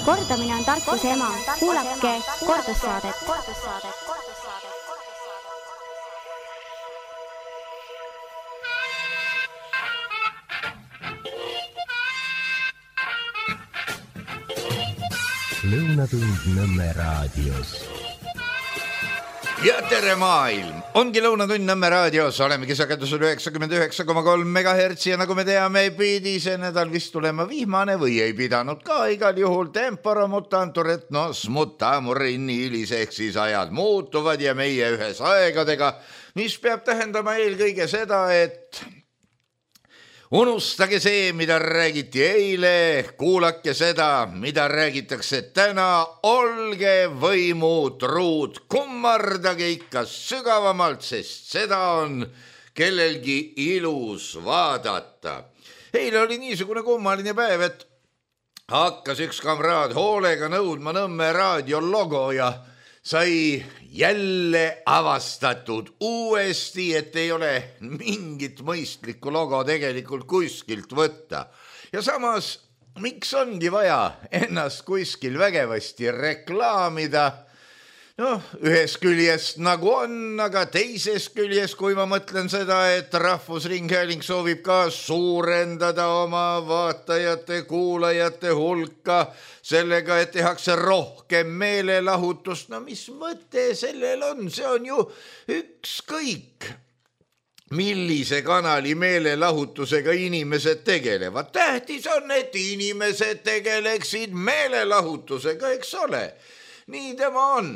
Kordamine on tarkuse ema. Kuulake kordussaadet. Lõunatund Nõmme raadios. Ja tere maailm! Ongi Lõunatund Nõmme raadios, olemegi sagedusel 99,3 MHz ja nagu me teame, pidi see nädal vist tulema vihmane või ei pidanud ka igal juhul tempora mutantur et nos mutamur inniilis ehk siis ajad muutuvad ja meie ühes aegadega, mis peab tähendama eelkõige seda, et unustage see, mida räägiti eile, kuulake seda, mida räägitakse täna, olge võimutruud, kummardage ikka sügavamalt, sest seda on kellelgi ilus vaadata. Eile oli niisugune kummaline päev, et hakkas üks kamraad hoolega nõudma Nõmme raadio logo ja sai jälle avastatud uuesti, et ei ole mingit mõistlikku logo tegelikult kuskilt võtta. Ja samas, miks ongi vaja ennast kuskil vägevasti reklaamida? Noh, ühes küljest nagu on, aga teises küljest, kui ma mõtlen seda, et Rahvusringhääling soovib ka suurendada oma vaatajate, kuulajate hulka sellega, et tehakse rohkem meelelahutust. No mis mõte sellel on? See on ju ükskõik, millise kanali meelelahutusega inimesed tegelevad. Tähtis on, et inimesed tegeleksid meelelahutusega, eks ole? Nii tema on.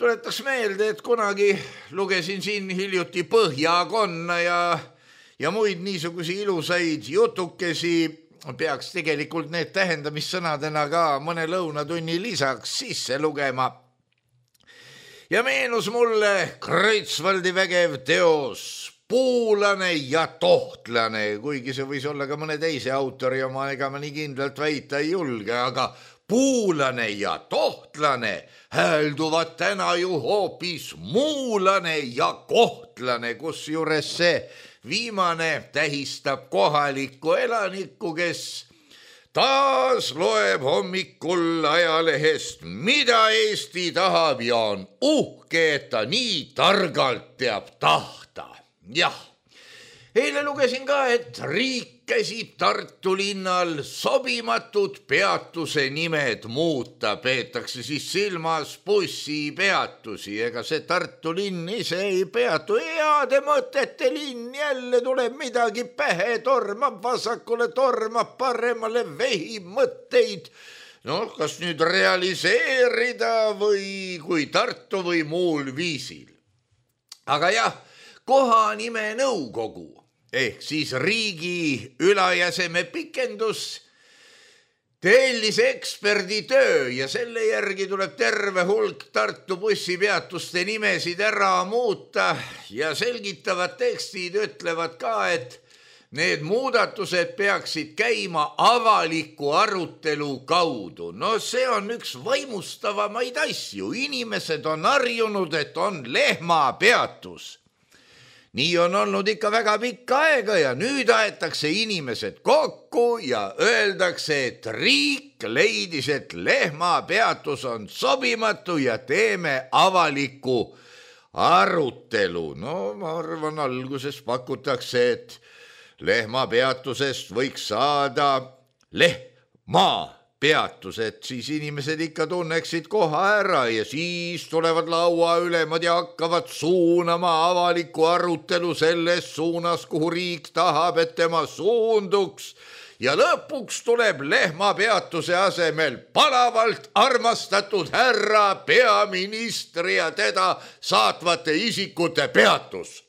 Tuletaks meelde, et kunagi lugesin siin hiljuti Põhjakonna ja muid niisugusi ilusaid jutukesi, peaks tegelikult need tähendamissõnadena ka mõne lõunatunni lisaks sisse lugema. Ja meenus mulle Kreutzwaldi vägev teos Puulane ja tohtlane, kuigi see võis olla ka mõne teise autori oma, ega ma nii kindlalt väita ei julge, aga Puulane ja tohtlane häälduvad täna ju hoopis muulane ja kohtlane, kus juures see viimane tähistab kohalikku elanikku, kes taas loeb hommikul ajalehest, mida Eesti tahab ja on uhke, et ta nii targalt teab tahta. Jah, eile lugesin ka, et riik käsib Tartu linnal sobimatud peatuse nimed muuta, peetakse siis silmas bussipeatusi, ega see Tartu linn ise ei peatu, heade mõtete linn, jälle tuleb midagi pähe, tormab vasakule, tormab paremale, vehib mõtteid, no kas nüüd realiseerida või kui Tartu või muul viisil. Aga jah, kohanime nõukogu ehk siis riigi ülajäseme pikendus tellis eksperditöö ja selle järgi tuleb terve hulk Tartu bussipeatuste nimesid ära muuta ja selgitavad tekstid ütlevad ka, et need muudatused peaksid käima avaliku arutelu kaudu. No see on üks vaimustavamaid asju. Inimesed on harjunud, et on lehmapeatus. Nii on olnud ikka väga pikka aega ja nüüd aetakse inimesed kokku ja öeldakse, et riik leidis, et lehmapeatus on sobimatu ja teeme avaliku arutelu. No ma arvan, alguses pakutakse, et lehmapeatusest võiks saada lehmapeatus, et siis inimesed ikka tunneksid koha ära ja siis tulevad laua ülemad ja hakkavad suunama avaliku arutelu selles suunas, kuhu riik tahab, et tema suunduks. Ja lõpuks tuleb lehmapeatuse asemel palavalt armastatud härra peaministri ja teda saatvate isikute peatus,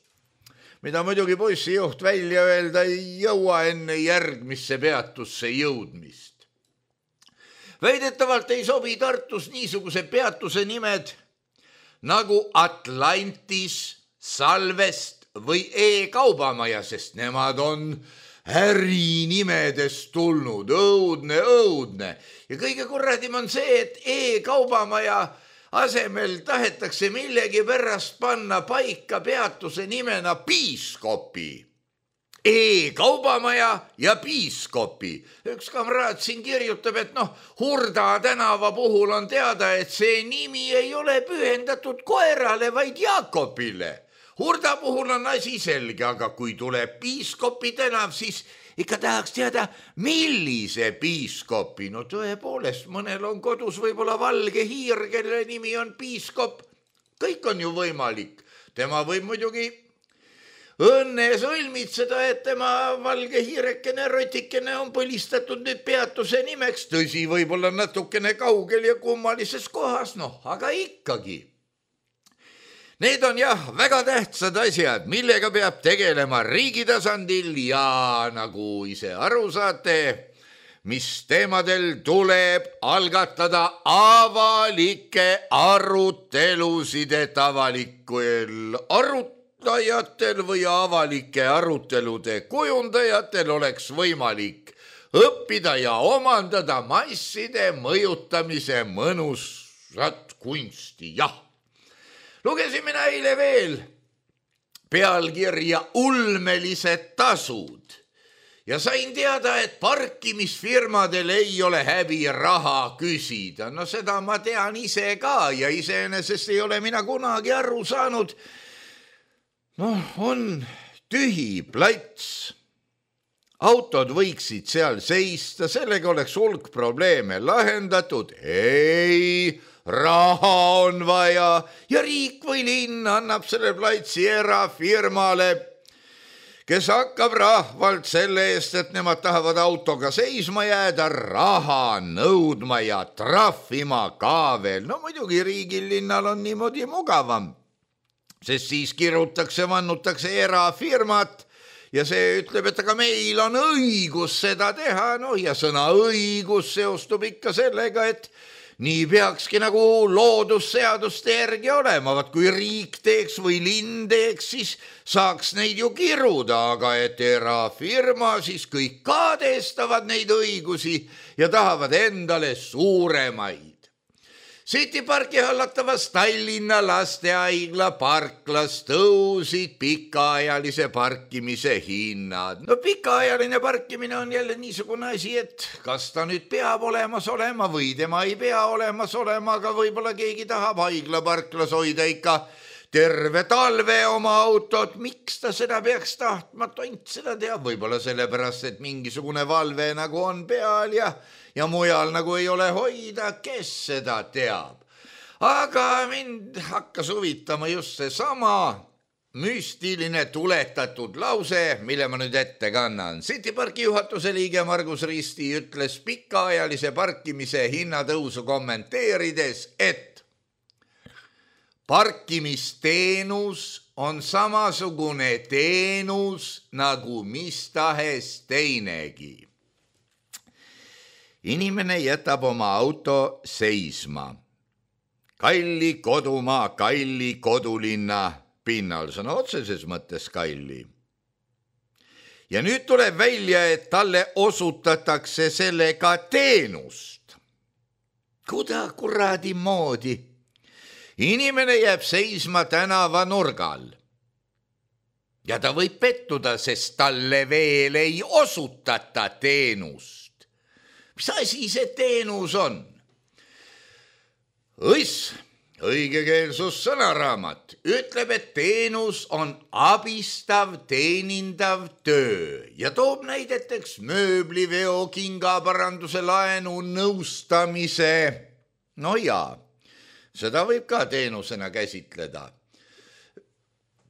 mida muidugi bussijuht välja öelda ei jõua enne järgmisse peatusse jõudmist. Väidetavalt ei sobi Tartus niisuguse peatuse nimed nagu Atlantis, Salvest või E-kaubamaja, sest nemad on ärinimedest tulnud, õudne. Ja kõige kurradim on see, et E-kaubamaja asemel tahetakse millegi pärast panna paika peatuse nimena piiskopi. E-kaubamaja ja piiskopi. Üks kamraad siin kirjutab, et Hurda tänava puhul on teada, et see nimi ei ole pühendatud koerale, vaid Jaakobile. Hurda puhul on asi selge, aga kui tuleb piiskopi tänav, siis ikka tahaks teada, millise piiskopi. Tõepoolest, mõnel on kodus võib-olla valge hiir, kelle nimi on piiskop. Kõik on ju võimalik. Tema võib muidugi õnne sõlmitseda, et tema valge hiirekene rotikene on põlistatud nüüd peatuse nimeks. Tõsi, võib-olla natukene kaugel ja kummalises kohas, aga ikkagi. Need on väga tähtsad asjad, millega peab tegelema riigi tasandil ja nagu ise aru saate, mis teemadel tuleb algatada avalikke arutelusid, et avalikul arutajatel või avalike arutelude kujundajatel oleks võimalik õppida ja omandada masside mõjutamise mõnusat kunsti. Lugesin mina eile veel pealkirja ulmelised tasud ja sain teada, et parkimisfirmadel ei ole häbi raha küsida. Seda ma tean ise ka ja iseenesest ei ole mina kunagi aru saanud. On tühi plats. Autod võiksid seal seista, sellega oleks hulk probleeme lahendatud. Ei, raha on vaja ja riik või linn annab selle platsi erafirmale, kes hakkab rahvalt selle eest, et nemad tahavad autoga seisma jääda, raha nõudma ja trahvima ka veel. Muidugi riigil linnal on niimoodi mugavam, sest siis kirutakse, vannutakse erafirmat ja see ütleb, et aga meil on õigus seda teha. Ja sõna õigus seostub ikka sellega, et nii peakski nagu loodusseaduste järgi olema. Kui riik teeks või linn teeks, siis saaks neid ju kiruda, aga et erafirma, siis kõik kaadestavad neid õigusi ja tahavad endale suuremaid. City Parki hallatavas Tallinna lastehaigla parklas tõusid pikaajalise parkimise hinnad. Pikaajaline parkimine on jälle niisugune asi, et kas ta nüüd peab olemas olema või tema ei pea olemas olema, aga võib-olla keegi tahab haigla parklas hoida ikka terve talve oma autot. Miks ta seda peaks tahtma, tont seda teab, võib-olla sellepärast, et mingisugune valve nagu on peal ja mujal nagu ei ole hoida, kes seda teab. Aga mind hakkas huvitama just seesama müstiline tuletatud lause, mille ma nüüd ette kannan. City Parki juhatuse liige Margus Risti ütles pikaajalise parkimise hinnatõusu kommenteerides, et parkimisteenus on samasugune teenus nagu mis tahes teinegi. Inimene jätab oma auto seisma. Kalli kodumaa, kalli kodulinna pinnal, sõna otseses mõttes kalli. Ja nüüd tuleb välja, et talle osutatakse sellega teenust. Kuda kuradi moodi? Inimene jääb seisma tänava nurgal. Ja ta võib pettuda, sest talle veel ei osutata teenust. Mis asi see teenus on? Õigekeelsus sõnaraamat ütleb, et teenus on abistav, teenindav töö ja toob näideteks mööbliveo, kingaparanduse, laenu, nõustamise. Seda võib ka teenusena käsitleda.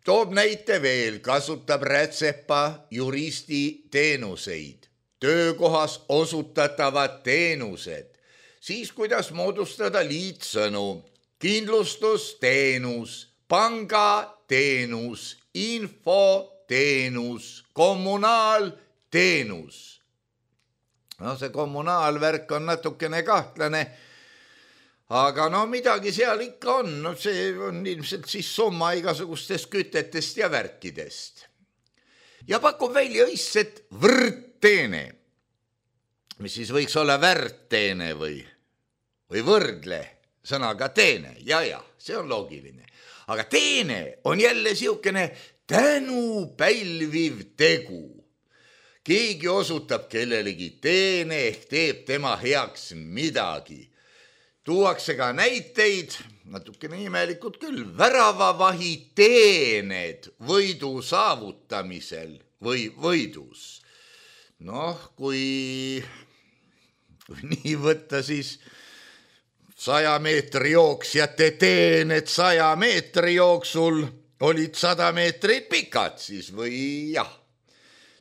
Toob näite veel, kasutab rätsepa juristi teenuseid. Töökohas osutatavad teenused, siis kuidas moodustada liitsõnu, kindlustusteenus, pangateenus, infoteenus, kommunaalteenus. See kommunaalvärk on natukene kahtlane, aga midagi seal ikka on. See on ilmselt siis summa igasugustest kütetest ja värkidest. Ja pakub välja õisset võrdteene, mis siis võiks olla väärteene või võrdle sõnaga teene. Ja, see on loogiline. Aga teene on jälle siukene tänu pälviv tegu. keegi osutab kellelegi teene ehk teeb tema heaks midagi. Tuuakse ka näiteid, natukene imelikult küll, väravavahi teened võidu saavutamisel või võidus. Noh, kui nii võtta, siis 100 meetri jooksjate teened 100 meetri jooksul olid 100 meetrit pikad siis või jah.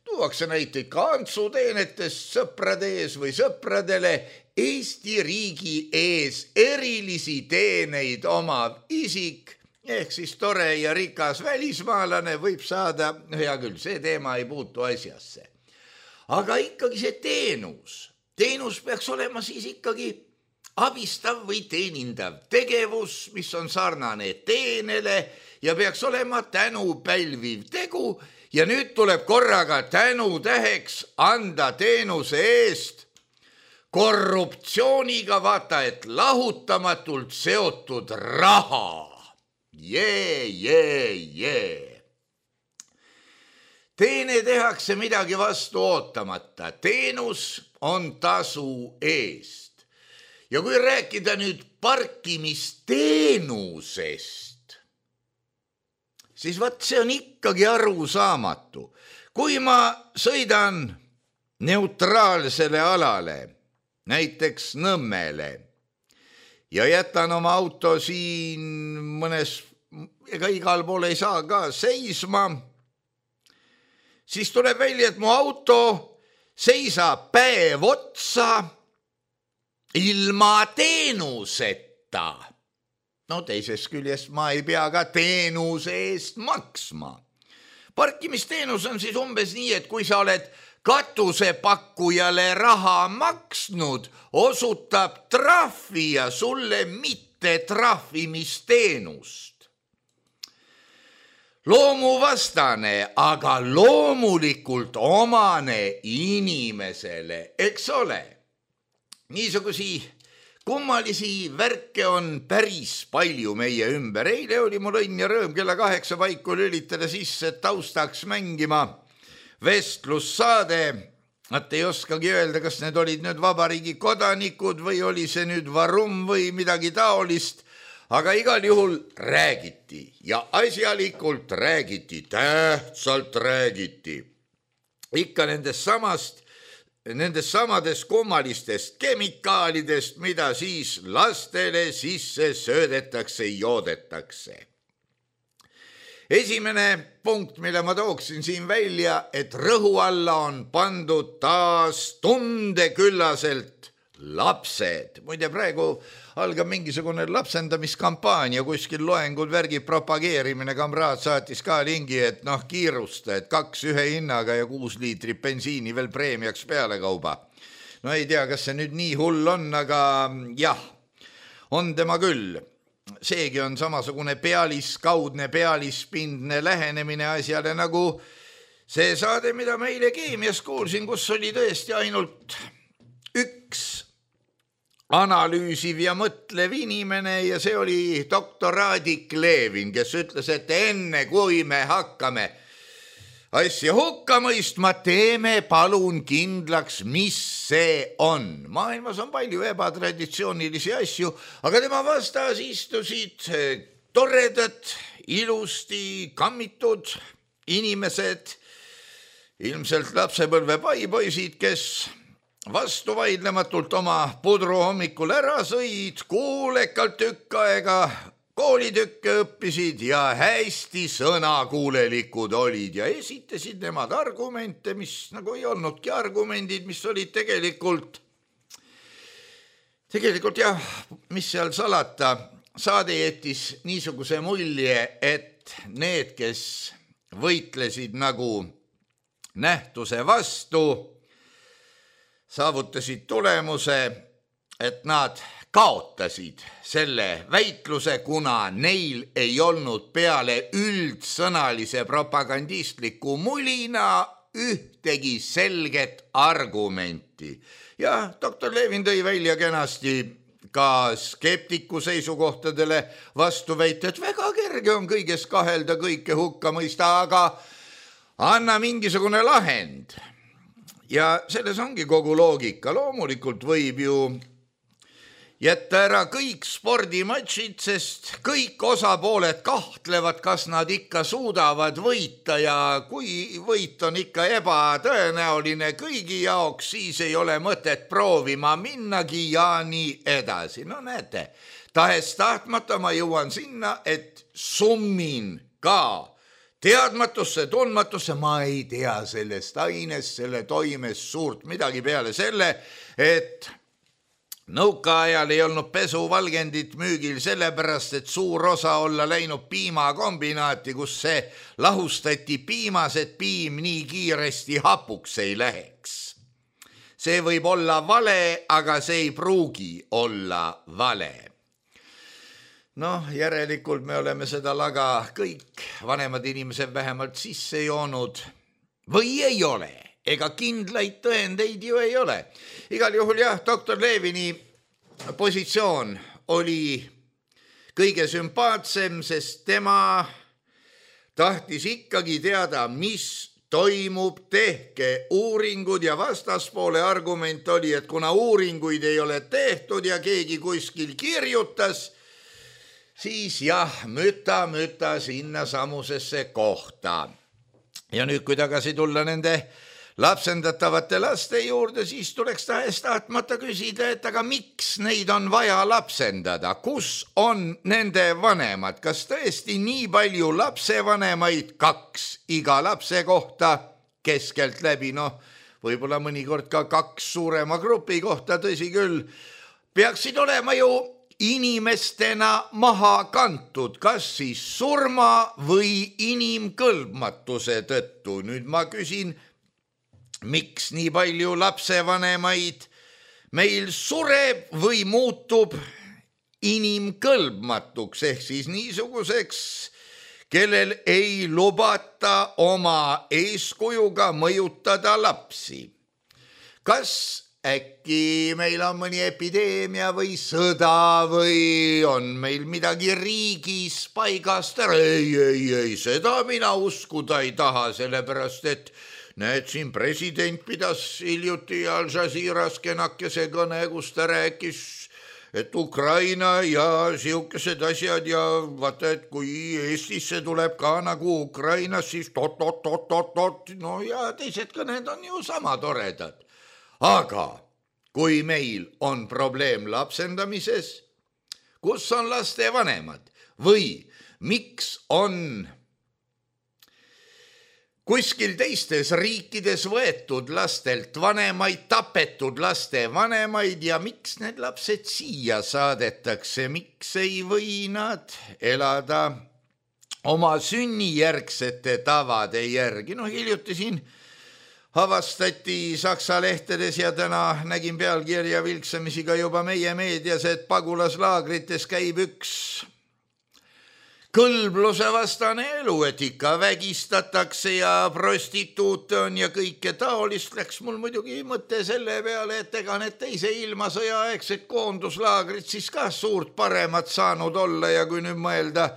Tuuakse näiteid ka antsuteenetest sõprade ees või sõpradele Eesti riigi ees erilisi teeneid omav isik ehk siis tore ja rikas välismaalane võib saada, hea küll, see teema ei puutu asjasse. Aga ikkagi see teenus peaks olema siis ikkagi abistav või teenindav tegevus, mis on sarnane teenele ja peaks olema tänu pälviv tegu ja nüüd tuleb korraga tänutäheks anda teenuse eest korruptsiooniga, vaata, et lahutamatult seotud raha. Teene tehakse midagi vastu ootamata, teenus on tasu eest. Ja kui rääkida nüüd parkimisteenusest, siis vaat see on ikkagi arusaamatu. Kui ma sõidan neutraalsele alale, näiteks Nõmmele, ja jätan oma auto siin mõnes, ega igal pool ei saa ka seisma, siis tuleb välja, et mu auto seisab päev otsa ilma teenuseta. No teisest küljest ma ei pea ka teenuse eest maksma. Parkimisteenus on siis umbes nii, et kui sa oled katusepakkujale raha maksnud, osutab trahvi ja sulle mitte trahvimisteenust. Loomuvastane, aga loomulikult omane inimesele, eks ole. Niisugusi kummalisi värke on päris palju meie ümber. Eile oli mul õnn ja rõõm kella 8 paiku lülitada sisse taustaks mängima vestlussaade. Nad ei oskagi öelda, kas need olid nüüd vabariigi kodanikud või oli see nüüd varum või midagi taolist, aga igal juhul räägiti ja asjalikult räägiti, tähtsalt räägiti. Ikka nendest samadest kummalistest kemikaalidest, mida siis lastele sisse söödetakse, joodetakse. Esimene punkt, mille ma tooksin siin välja, et rõhu alla on pandud taas tundeküllaselt lapsed. Muide, praegu algab mingisugune lapsendamiskampaania, kuskil loengud, värgid, propageerimine, kamraad saatis ka lingi, et kiirusta, et 2 ühe hinnaga ja 6 liitrit bensiini veel preemiaks peale kauba. No ei tea, kas see nüüd nii hull on, aga jah, on tema küll. Seegi on samasugune kaudne pealispindne lähenemine asjale, nagu see saade, mida ma eile keemias kuulsin, kus oli tõesti ainult üks analüüsiv ja mõtlev inimene ja see oli doktor Raadik Levin, kes ütles, et enne kui me hakkame asja hukka mõistma, teeme palun kindlaks, mis see on. Maailmas on palju ebatraditsioonilisi asju, aga tema vastas istusid toredad, ilusti kammitud inimesed, ilmselt lapsepõlve paipoisid, kes vastu vaidlematult oma pudru hommikul ära sõid, kuulekalt tükk aega koolitükke õppisid ja hästi sõnakuulelikud olid ja esitasid nemad argumente, mis nagu ei olnudki argumendid, mis olid tegelikult jah, mis seal salata, saade jättis niisuguse mulje, et need, kes võitlesid nagu nähtuse vastu, saavutasid tulemuse, et nad kaotasid selle väitluse, kuna neil ei olnud peale üldsõnalise propagandistliku mulina ühtegi selget argumenti. Ja doktor Levin tõi välja kenasti ka skeptiku seisukohtadele vastu väita, et väga kerge on kõiges kahelda, kõike hukka mõista, aga anna mingisugune lahend. ja selles ongi kogu loogika. Loomulikult võib ju jätta ära kõik spordimatšid, sest kõik osapooled kahtlevad, kas nad ikka suudavad võita ja kui võit on ikka ebatõenäoline kõigi jaoks, siis ei ole mõtet proovima minnagi ja nii edasi. No näete, tahes tahtmata ma jõuan sinna, et summin ka teadmatusse, tundmatusse, ma ei tea sellest ainest, selle toimest suurt midagi peale selle, et nõukaajal ei olnud pesuvalgendit müügil sellepärast, et suur osa olla läinud piimakombinaati, kus see lahustati piimas, et piim nii kiiresti hapuks ei läheks. See võib olla vale, aga see ei pruugi olla vale. Noh, järelikult me oleme seda laga kõik vanemad inimesed vähemalt sisse joonud või ei ole. Ega kindlaid tõendeid ju ei ole. Igal juhul jah, doktor Levini positsioon oli kõige sümpaatsem, sest tema tahtis ikkagi teada, mis toimub, tehke uuringud ja vastaspoole argument oli, et kuna uuringuid ei ole tehtud ja keegi kuskil kirjutas, siis jah, müta sinna samusesse kohta. Ja nüüd, kui tagasi tulla nende lapsendatavate laste juurde, siis tuleks tahes tahtmata küsida, et aga miks neid on vaja lapsendada? Kus on nende vanemad? Kas tõesti nii palju lapsevanemaid, 2 iga lapse kohta keskelt läbi? Noh, võib-olla mõnikord ka 2 suurema grupi kohta, tõsi küll, peaksid olema ju inimestena maha kantud, kas siis surma või inimkõlbmatuse tõttu. Nüüd ma küsin, miks nii palju lapsevanemaid meil sureb või muutub inimkõlbmatuks, ehk siis niisuguseks, kellel ei lubata oma eeskujuga mõjutada lapsi. Kas äkki meil on mõni epideemia või sõda või on meil midagi riigis paigast ära? Ei, seda mina uskuda ei taha, sellepärast et näed, siin president pidas hiljuti Al Jazeeras kenakese kõne, kus ta rääkis, et Ukraina ja siukesed asjad ja vaata, et kui Eestisse tuleb ka nagu Ukrainas, siis tot, no ja teised kõned on ju sama toredad. Aga kui meil on probleem lapsendamises, kus on laste vanemad või miks on kuskil teistes riikides võetud lastelt vanemaid, tapetud laste vanemaid ja miks need lapsed siia saadetakse, miks ei või nad elada oma sünnijärgsete tavade järgi? No hiljuti siin avastati Saksa lehtedes ja täna nägin pealkirja vilksamisi ka juba meie meedias, et pagulaslaagrites käib üks kõlbluse vastane elu, et ikka vägistatakse ja prostituute on ja kõike taolist. Läks mul muidugi mõte selle peale, et ega need teise ilmasõja aegsed koonduslaagrid siis ka suurt paremat saanud olla ja kui nüüd mõelda,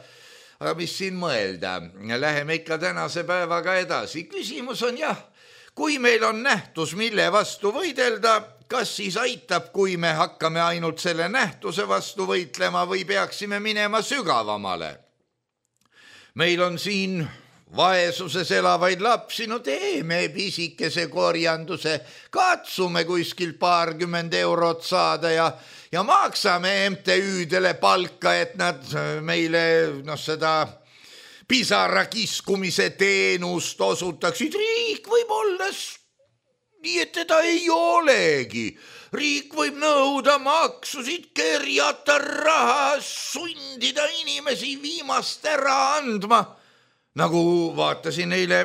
aga mis siin mõelda, läheme ikka tänase päevaga edasi. Küsimus on jah, kui meil on nähtus, mille vastu võidelda, kas siis aitab, kui me hakkame ainult selle nähtuse vastu võitlema või peaksime minema sügavamale? Meil on siin vaesuses elavaid lapsi, no teeme pisikese korjanduse, katsume kuskil 20 eurot saada ja maksame MTÜ-dele palka, et nad meile seda pisara kiskumise teenust osutaksid. Riik võib olla nii, et teda ei olegi. Riik võib nõuda maksusid, kerjata raha, sundida inimesi viimast ära andma. Nagu vaatasin eile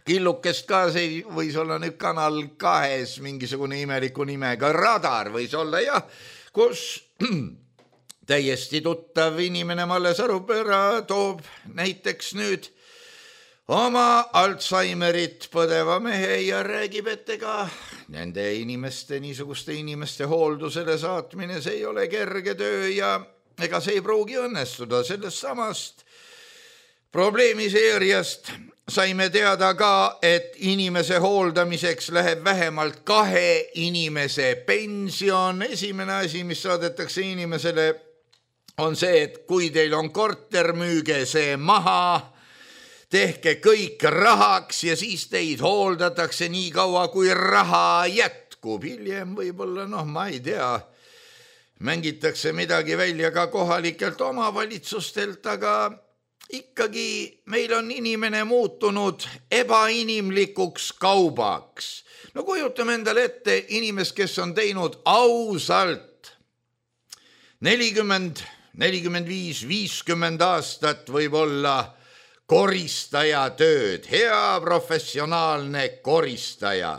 killukest ka, see võis olla nüüd Kanal 2 mingisugune imeliku nimega Radar võis olla jah, kus täiesti tuttav inimene Malle Sarupera toob näiteks nüüd oma Alzheimerit põdeva mehe ja räägib, et ega nende inimeste, niisuguste inimeste hooldusele saatmine, see ei ole kerge töö ja ega see ei pruugi õnnestuda. Sellest samast probleemiseeriast saime teada ka, et inimese hooldamiseks läheb vähemalt 2 inimese pension. Esimene asi, mis saadetakse inimesele, on see, et kui teil on korter, müüge see maha, tehke kõik rahaks ja siis teid hooldatakse nii kaua, kui raha jätkub. Hiljem võib-olla, ma ei tea, mängitakse midagi välja ka kohalikelt omavalitsustelt, aga ikkagi meil on inimene muutunud ebainimlikuks kaubaks. No kujutame endale ette inimest, kes on teinud ausalt 40, 45, 50 aastat võib-olla koristaja tööd, hea professionaalne koristaja.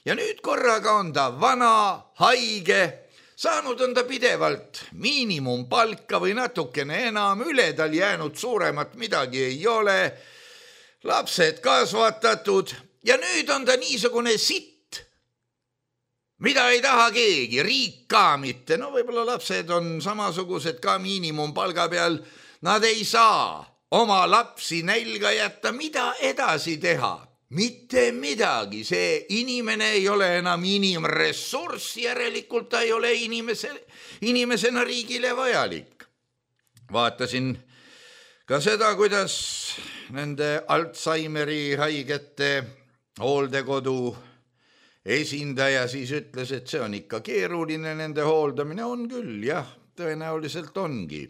Ja nüüd korraga on ta vana, haige, saanud on ta pidevalt miinimumpalka või natukene enam, üle tal jäänud suuremat midagi ei ole, lapsed kasvatatud ja nüüd on ta niisugune sitt, mida ei taha keegi, riik ka mitte. No võib-olla lapsed on samasugused ka miinimumpalga peal, nad ei saa oma lapsi nälga jätta, mida edasi teha? Mitte midagi, see inimene ei ole enam inimressurss, järelikult ta ei ole inimesena riigile vajalik. Vaatasin ka seda, kuidas nende Alzheimeri haigete hooldekodu esindaja siis ütles, et see on ikka keeruline, nende hooldamine on küll, jah, tõenäoliselt ongi.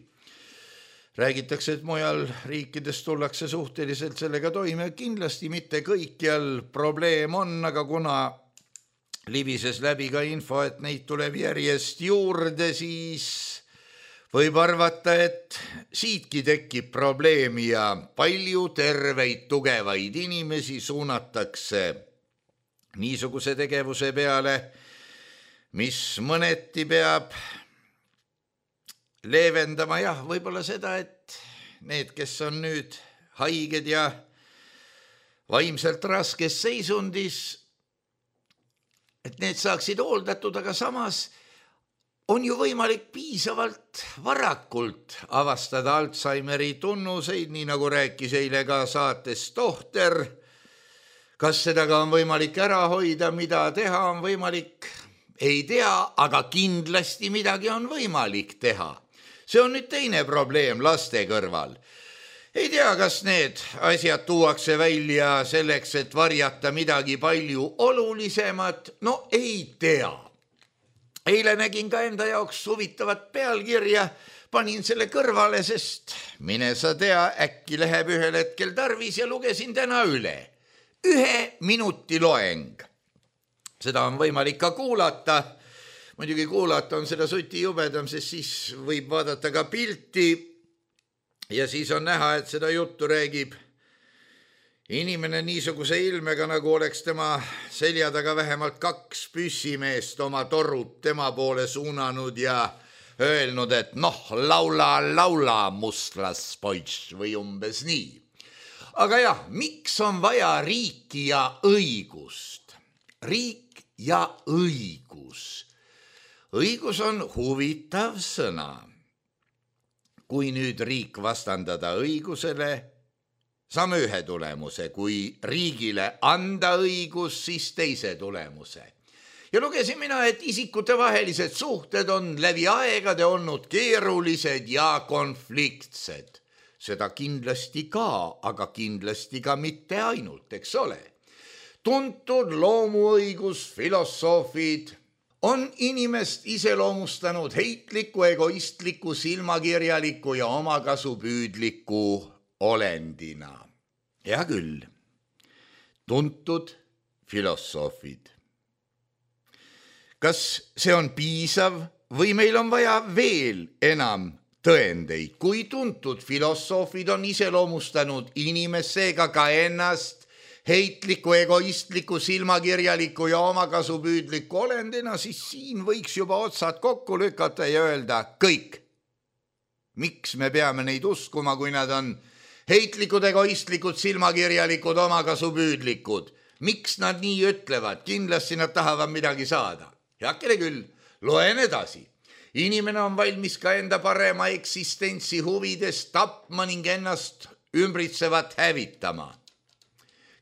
Räägitakse, et mujal riikides tullakse suhteliselt sellega toime, kindlasti mitte kõikjal probleem on, aga kuna libises läbi ka info, et neid tuleb järjest juurde, siis võib arvata, et siitki tekib probleemi ja palju terveid, tugevaid inimesi suunatakse niisuguse tegevuse peale, mis mõneti peab leevendama, jah, võib-olla seda, et need, kes on nüüd haiged ja vaimselt raskes seisundis, et need saaksid hooldatud, aga samas on ju võimalik piisavalt varakult avastada Alzheimeri tunnuseid, nii nagu rääkis eile ka saates tohter. Kas seda ka on võimalik ära hoida, mida teha on võimalik? Ei tea, aga kindlasti midagi on võimalik teha. See on nüüd teine probleem laste kõrval. Ei tea, kas need asjad tuuakse välja selleks, et varjata midagi palju olulisemat. No ei tea. Eile nägin ka enda jaoks huvitavat pealkirja, panin selle kõrvale, sest mine sa tea, äkki läheb ühel hetkel tarvis ja lugesin täna üle. 1 minuti loeng. Seda on võimalik ka kuulata. Muidugi kuulata on seda suti jubedam, sest siis võib vaadata ka pilti ja siis on näha, et seda juttu räägib inimene niisuguse ilmega, nagu oleks tema selja taga vähemalt 2 püssimeest oma torud tema poole suunanud ja öelnud, et laula mustlaspoiss või umbes nii. Aga jah, miks on vaja riiki ja õigust? Riik ja õigus. Õigus on huvitav sõna. Kui nüüd riik vastandada õigusele, saame ühe tulemuse. Kui riigile anda õigus, siis teise tulemuse. Ja lugesin mina, et isikutevahelised suhted on läbi aegade olnud keerulised ja konfliktsed. Seda kindlasti ka, aga kindlasti ka mitte ainult, eks ole. Tuntud loomuõigusfilosoofid on inimest iseloomustanud heitliku, egoistliku, silmakirjaliku ja omakasupüüdliku olendina. Hea küll, tuntud filosoofid. Kas see on piisav või meil on vaja veel enam tõendeid? Kui tuntud filosoofid on iseloomustanud inimest, seega ka ennast heitliku, egoistliku, silmakirjaliku ja omakasupüüdliku olendina, siis siin võiks juba otsad kokku lükata ja öelda kõik. Miks me peame neid uskuma, kui nad on heitlikud, egoistlikud, silmakirjalikud, omakasupüüdlikud? Miks nad nii ütlevad? Kindlasti nad tahavad midagi saada. Heakene küll, loen edasi. Inimene on valmis ka enda parema eksistentsi huvides tapma ning ennast ümbritsevat hävitama.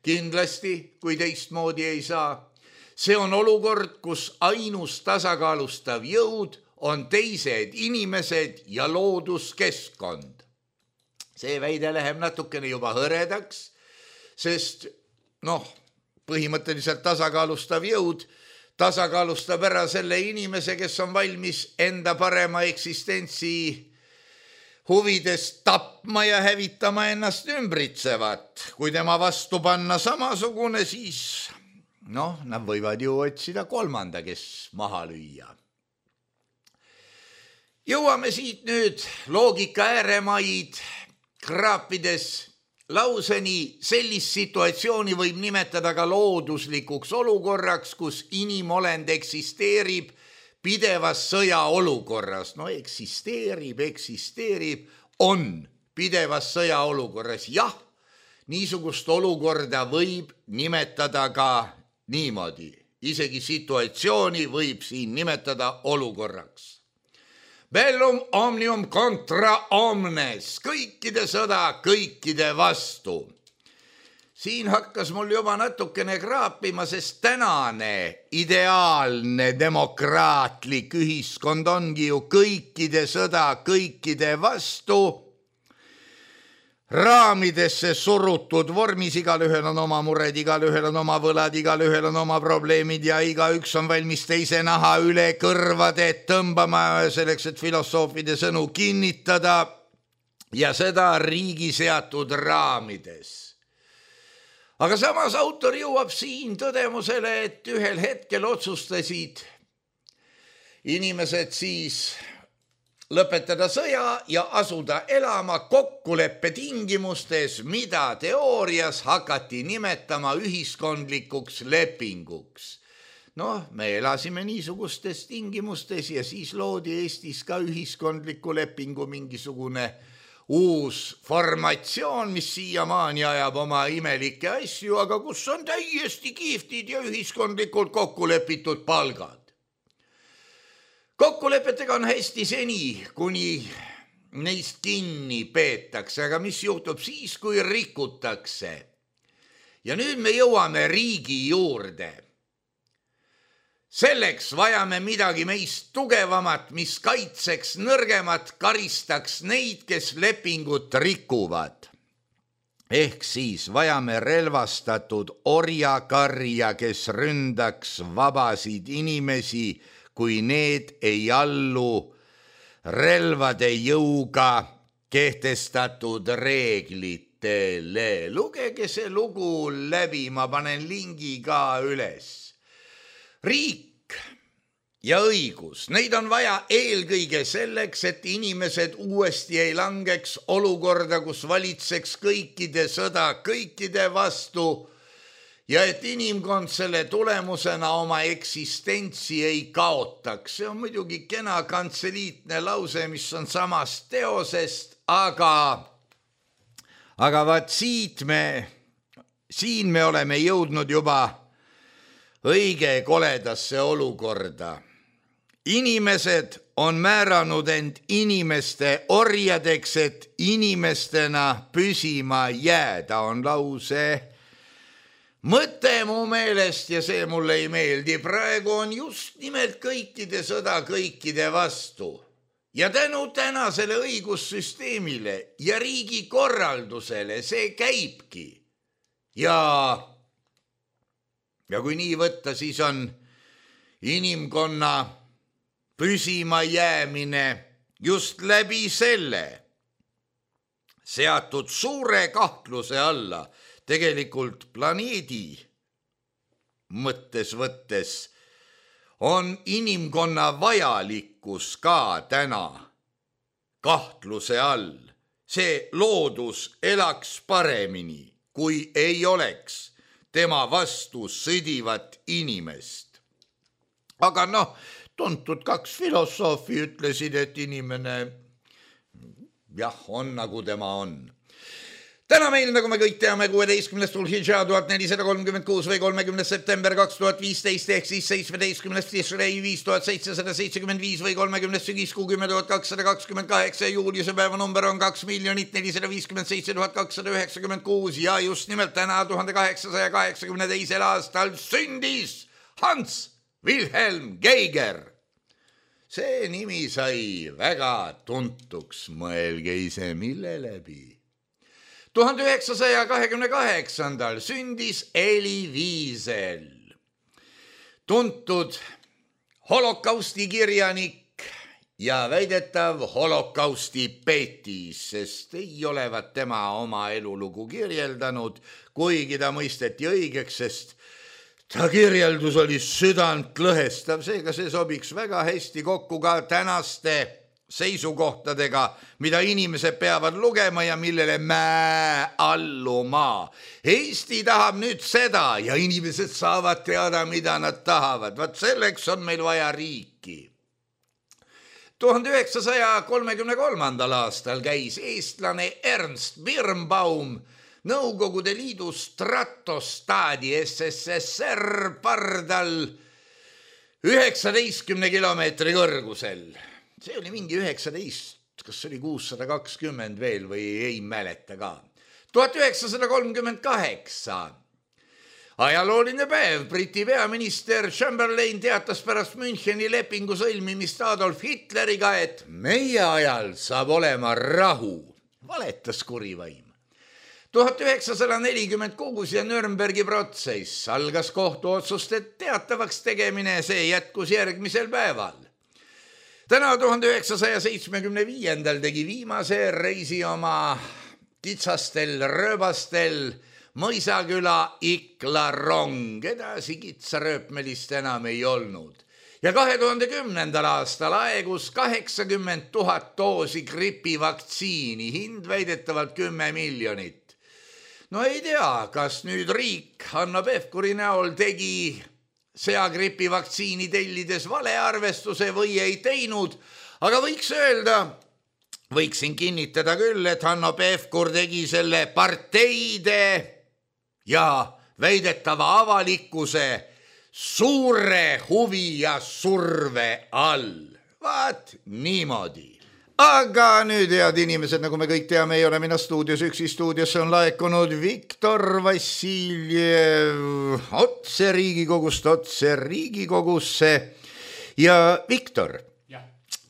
kindlasti, kui teistmoodi ei saa. See on olukord, kus ainus tasakaalustav jõud on teised inimesed ja looduskeskkond. See väide läheb natukene juba hõredaks, sest põhimõtteliselt tasakaalustav jõud tasakaalustab ära selle inimese, kes on valmis enda parema eksistentsi huvides tapma ja hävitama ennast ümbritsevat. Kui tema vastu panna samasugune, siis nad võivad ju otsida kolmanda, kes maha lüüa. Jõuame siit nüüd loogika ääremaid kraapides lauseni. Sellist situatsiooni võib nimetada ka looduslikuks olukorraks, kus inimolend eksisteerib pidevas sõjaolukorras. Eksisteerib, on pidevas sõjaolukorras. Jah, niisugust olukorda võib nimetada ka niimoodi. Isegi situatsiooni võib siin nimetada olukorraks. Bellum omnium contra omnes, kõikide sõda kõikide vastu. Siin hakkas mul juba natukene kraapima, sest tänane ideaalne demokraatlik ühiskond ongi ju kõikide sõda kõikide vastu, raamidesse surutud vormis, igalühel on oma mured, igalühel on oma võlad, igalühel on oma probleemid ja igaüks on valmis teise naha üle kõrvade tõmbama selleks, et filosoofide sõnu kinnitada ja seda riigi seatud raamides. Aga samas autor jõuab siin tõdemusele, et ühel hetkel otsustasid inimesed siis lõpetada sõja ja asuda elama kokkuleppe tingimustes, mida teoorias hakati nimetama ühiskondlikuks lepinguks. Me elasime niisugustes tingimustes ja siis loodi Eestis ka ühiskondliku lepingu mingisugune uus formatsioon, mis siiamaani ajab oma imelikke asju, aga kus on täiesti kihvtid ja ühiskondlikult kokkulepitud palgad. Kokkulepetega on hästi seni, kuni neist kinni peetakse, aga mis juhtub siis, kui rikutakse? Ja nüüd me jõuame riigi juurde. Selleks vajame midagi meist tugevamat, mis kaitseks nõrgemat, karistaks neid, kes lepingut rikuvad. Ehk siis vajame relvastatud orjakarja, kes ründaks vabasid inimesi, kui need ei allu relvade jõuga kehtestatud reeglitele. Lugege see lugu läbi, ma panen lingi ka üles. Riik ja õigus, neid on vaja eelkõige selleks, et inimesed uuesti ei langeks olukorda, kus valitseks kõikide sõda kõikide vastu, ja et inimkond selle tulemusena oma eksistentsi ei kaotaks. See on muidugi kena kantseliitne lause, mis on samast teosest, aga vaat siin me oleme jõudnud juba õige koledasse olukorda. Inimesed on määranud end inimeste orjadeks, et inimestena püsima jääda, on lause mõte mu meelest ja see mulle ei meeldi. Praegu on just nimelt kõikide sõda kõikide vastu. Ja tänu tänasele õigussüsteemile ja riigi korraldusele see käibki. Ja kui nii võtta, siis on inimkonna püsima jäämine just läbi selle seatud suure kahtluse alla. Tegelikult planeedi mõttes võttes on inimkonna vajalikkus ka täna kahtluse all. See loodus elaks paremini, kui ei oleks tema vastu sõdivat inimest. Aga tuntud kaks filosoofi ütlesid, et inimene on nagu tema on. Täna meil, nagu me kõik teame, 16. Dhul-Hidžaa 1436 või 30. september 2015 ehk siis 17. Tishrei 5775 või 30. sügiskuu 10.228 ja juuliuse päeva number on 2 457 296 ja just nimelt täna 1882. aastal sündis Hans Wilhelm Geiger. See nimi sai väga tuntuks, mõelge ise mille läbi. 1928. sündis Elie Wiesel, tuntud holokausti kirjanik ja väidetav holokausti peetis, sest ei olevat tema oma elulugu kirjeldanud, kuigi ta mõisteti õigeks, sest ta kirjeldus oli südant lõhestav, seega see sobiks väga hästi kokku ka tänaste seisukohtadega, mida inimesed peavad lugema ja millele alluma. Eesti tahab nüüd seda ja inimesed saavad teada, mida nad tahavad. Vaat selleks on meil vaja riiki. 1933. aastal käis eestlane Ernst Birnbaum Nõukogude Liidu stratostaadi SSSR pardal 19 kilomeetri kõrgusel. See oli mingi 19, kas oli 620 veel või ei mäleta ka. 1938. Ajalooline päev. Briti peaminister Chamberlain teatas pärast Müncheni lepingu sõlmimist Adolf Hitleriga, et meie ajal saab olema rahu. Valetas kurivaim. 1946 ja Nürnbergi protsess algas kohtuotsuste teatavaks tegemine, see jätkus järgmisel päeval. Täna 1975. tegi viimase reisi oma kitsastel rööbastel Mõisaküla Ikla rong, edasi kitsarööpmelist enam ei olnud. Ja 2010. aastal aegus 80 000 doosi gripivaktsiini, hind väidetavalt 10 miljonit. No ei tea, kas nüüd riik Hanno Pevkuri näol tegi seagripi vaktsiini tellides valearvestuse või ei teinud, aga võiksin kinnitada küll, et Hanno Pevkur tegi selle parteide ja väidetava avalikkuse suure huvi ja surve all. Vaat niimoodi. Aga nüüd, head inimesed, nagu me kõik teame, ei ole mina stuudios üksi, stuudiosse on laekunud Viktor Vassiljev otse Riigikogusse. Ja Viktor,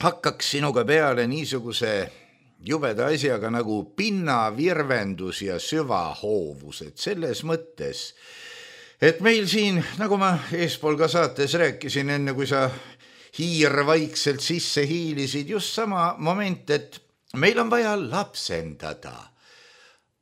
hakkaks sinuga peale niisuguse jubeda asjaga nagu pinnavirvendus ja süvahoovused selles mõttes, et meil siin, nagu ma eespool ka saates rääkisin, enne kui sa hiir vaikselt sisse hiilisid, just sama moment, et meil on vaja lapsendada.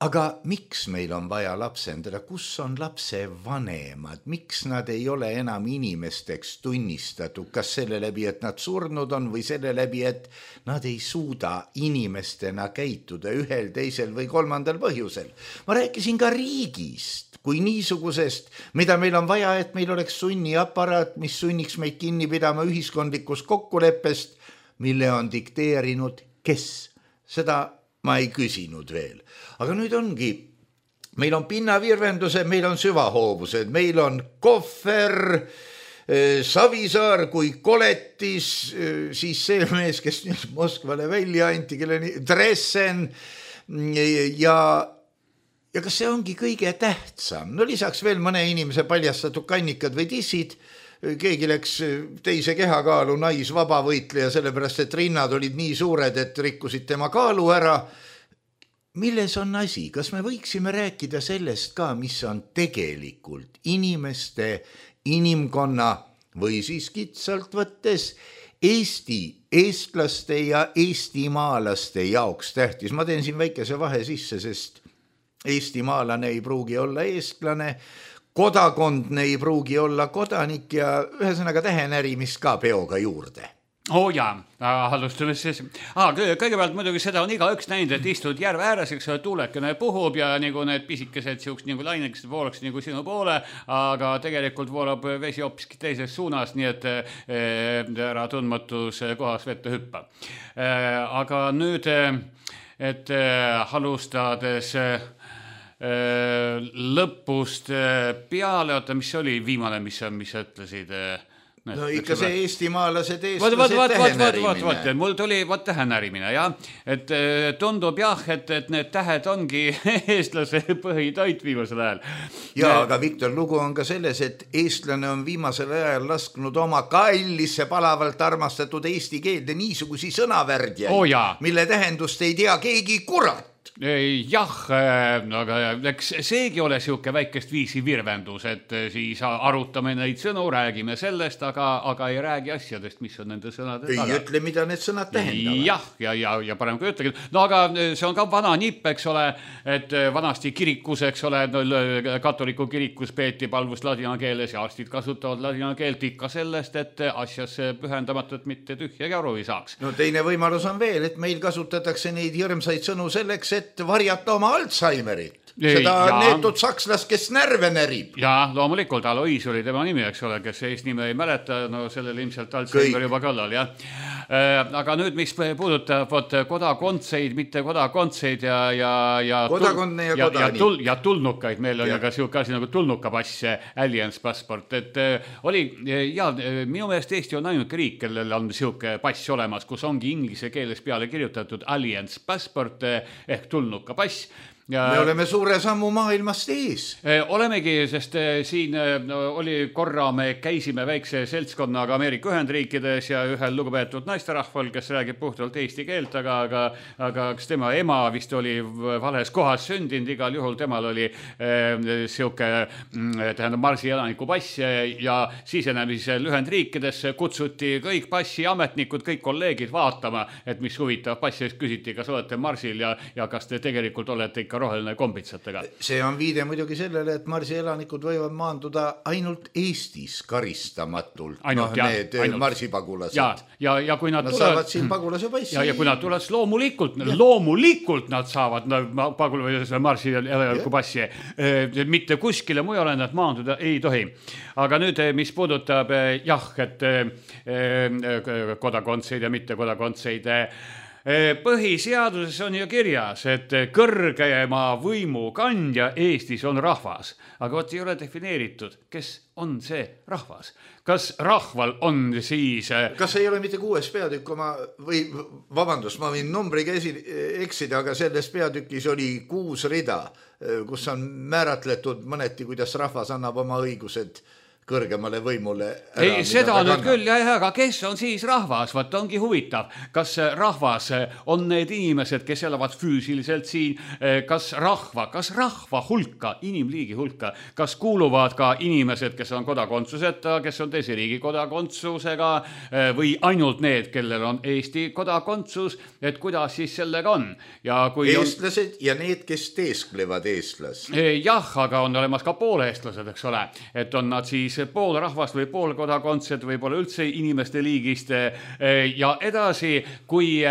Aga miks meil on vaja lapsendada? Kus on lapse vanemad? Miks nad ei ole enam inimesteks tunnistatud? Kas selle läbi, et nad surnud on või selle läbi, et nad ei suuda inimestena käituda ühel, teisel või kolmandal põhjusel? Ma rääkisin ka riigist kui niisugusest, mida meil on vaja, et meil oleks sunniaparaat, mis sunniks meid kinni pidama ühiskondlikust kokkuleppest, mille on dikteerinud kes? Seda ma ei küsinud veel. Aga nüüd ongi, meil on pinnavirvendused, meil on süvahoovused, meil on Kohver, Savisaar kui koletis, siis see mees, kes nüüd Moskvale välja anti, Dressen ja kas see ongi kõige tähtsam? No lisaks veel mõne inimese paljastatud kannikad või dissid, keegi läks teise kehakaalu naisvabavõitleja, sellepärast et rinnad olid nii suured, et rikkusid tema kaalu ära. Milles on asi? Kas me võiksime rääkida sellest ka, mis on tegelikult inimeste, inimkonna või siis kitsalt võttes Eesti, eestlaste ja eestimaalaste jaoks tähtis? Ma teen siin väikese vahe sisse, sest eestimaalane ei pruugi olla eestlane, kodakondne ei pruugi olla kodanik ja ühesõnaga tähenärimist ka peoga juurde. Alustame siis. Kõigepealt muidugi seda on igaüks näinud, et istud järve ääres, eks tuulekene puhub ja nagu need pisikesed siuks nagu lainekesed voolaks nagu sinu poole, aga tegelikult voolab vesi hoopiski teises suunas, nii et ära tundmatus kohas vette hüppa. Aga nüüd et alustades lõpust peale, oota, mis oli viimane, mis ütlesid? No ikka see eestimaalased eestlased tähenärimine. Mul tuli tähenärimine, jah. Et tundub jah, et need tähed ongi eestlase põhitoit viimasel ajal. Ja, aga Viktor, lugu on ka selles, et eestlane on viimasel ajal lasknud oma kallisse palavalt armastatud eesti keelde niisugusi sõnavärdjaid, mille tähendust ei tea keegi kurat. Jah, aga eks seegi ole siuke väikest viisi virvendus, et siis arutame neid sõnu, räägime sellest, aga ei räägi asjadest, mis on nende sõnade taga. Ei ütle, mida need sõnad tähendavad. Jah, ja parem kui ütlegi. No aga see on ka vana nipp, eks ole, et vanasti kirikus, eks ole, katoliku kirikus peeti palvust ladina keeles ja arstid kasutavad ladina keelt ikka sellest, et asjasse pühendamatult mitte tühjagi aru ei saaks. No teine võimalus on veel, et meil kasutatakse neid hirmsaid sõnu selleks, et varjata oma Alzheimerit. Seda neetud sakslas, kes närve närib. Ja loomulikult Alois oli tema nimi, eks ole, kes eesnime ei mäleta, no sellel ilmselt Alzheimer juba kallal, jah. Aga nüüd, mis puudutab kodakondseid, mitte kodakondseid ja tulnukaid, meil on ju ka siuke asi nagu tulnukapass, Alliance passport, et oli, ja minu meelest Eesti on ainuke riik, kellel on siuke pass olemas, kus ongi inglise keeles peale kirjutatud Alliance passport ehk tulnukapass. Me oleme suure sammu maailmast ees. Olemegi, sest siin oli korra, me käisime väikse seltskonnaga Ameerika Ühendriikides ja ühel lugupeetud naisterahval, kes räägib puhtalt eesti keelt, aga kas tema ema vist oli vales kohas sündinud, igal juhul temal oli siuke Marsi elaniku pass ja sisenemisel Ühendriikidesse kutsuti kõik passiametnikud, kõik kolleegid vaatama, et mis huvitav passi, küsiti, kas olete Marsil ja kas te tegelikult olete ikka roheline kombitsatega. See on viide muidugi sellele, et Marsi elanikud võivad maanduda ainult Eestis karistamatult. Need marsipagulased. Ja kui nad saavad siin pagulase passi. Ja kui nad tulevad, loomulikult nad saavad Marsi elaniku passi. Mitte kuskile mujale nad maanduda ei tohi. Aga nüüd, mis puudutab et kodakondseid ja mitte kodakondseid, põhiseaduses on ju kirjas, et kõrgema võimu kandja Eestis on rahvas, aga ei ole defineeritud, kes on see rahvas. Kas rahval on siis... Kas ei ole mitte 6 peatükk vabandust, ma võin numbriga eksida, aga selles peatükis oli 6 rida, kus on määratletud mõneti, kuidas rahvas annab oma õigused kõrgemale võimule. Ei, seda nüüd küll, aga kes on siis rahvas? Vaat ongi huvitav. Kas rahvas on need inimesed, kes elavad füüsiliselt siin? Kas rahva hulka, inimliigi hulka, kas kuuluvad ka inimesed, kes on kodakondsuseta, kes on teise riigi kodakondsusega või ainult need, kellel on Eesti kodakondsus, et kuidas siis sellega on? Ja kui eestlased ja need, kes teesklevad eestlast. Jah, aga on olemas ka pooleestlased, eks ole, et on nad siis pool rahvast või pool kodakondsed või pole üldse inimeste liigist ja edasi, kui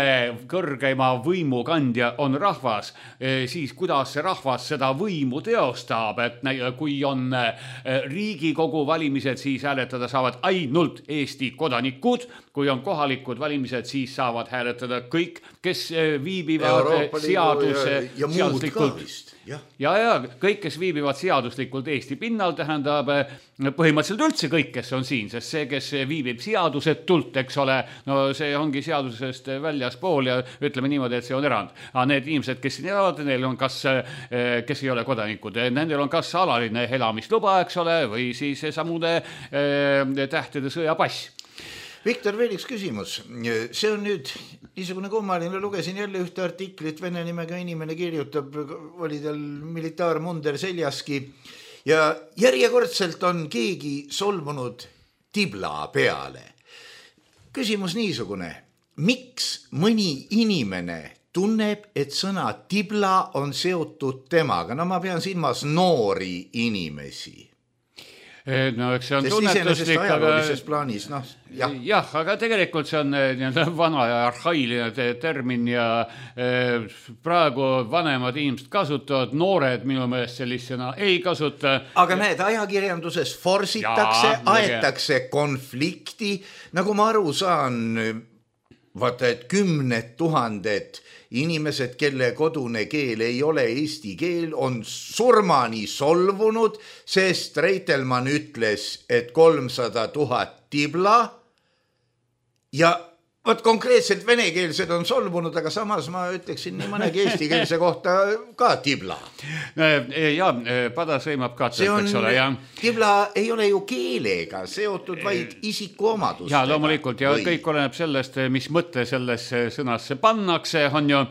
kõrgeima võimu kandja on rahvas, siis kuidas see rahvas seda võimu teostab, et kui on Riigikogu valimised, siis hääletada saavad ainult Eesti kodanikud, kui on kohalikud valimised, siis saavad hääletada kõik, kes viibivad seaduslikult. Ja kõik, kes viibivad seaduslikult Eesti pinnal, tähendab põhimõtteliselt üldse kõik, kes on siin, sest see, kes viibib seadusetult, eks ole, no see ongi seadusest väljaspool ja ütleme niimoodi, et see on erand. Aga need inimesed, kes siin elavad, neil on kas, kes ei ole kodanikud, nendel on kas alaline elamisluba, eks ole, või siis samude tähtede sõjapass. Viktor, veel üks küsimus. See on nüüd niisugune kummaline, lugesin jälle ühte artiklit, vene nimega inimene kirjutab, oli tal militaarmunder seljaski ja järjekordselt on keegi solvunud tibla peale. Küsimus niisugune, miks mõni inimene tunneb, et sõna tibla on seotud temaga? No ma pean silmas noori inimesi. No, eks see on tunnetuslik, plaanis, jah, aga tegelikult see on vana ja arhailine termin ja praegu vanemad inimesed kasutavad, noored minu meelest sellisena ei kasuta. Aga näed, ajakirjanduses forsitakse, aetakse konflikti, nagu ma aru saan, vaata, et 10 000 inimesed, kelle kodune keel ei ole eesti keel, on surmani solvunud, sest Reitelmann ütles, et 300 000 tibla ja Vot konkreetselt venekeelsed on solvunud, aga samas ma ütleksin nii mõnegi eestikeelse kohta ka tibla. Ja, pada sõimab katselt, eks ole. Tibla ei ole ju keelega seotud, vaid isikuomadustega. Ja, loomulikult, ja kõik oleneb sellest, mis mõtte sellesse sõnasse pannakse, on ju.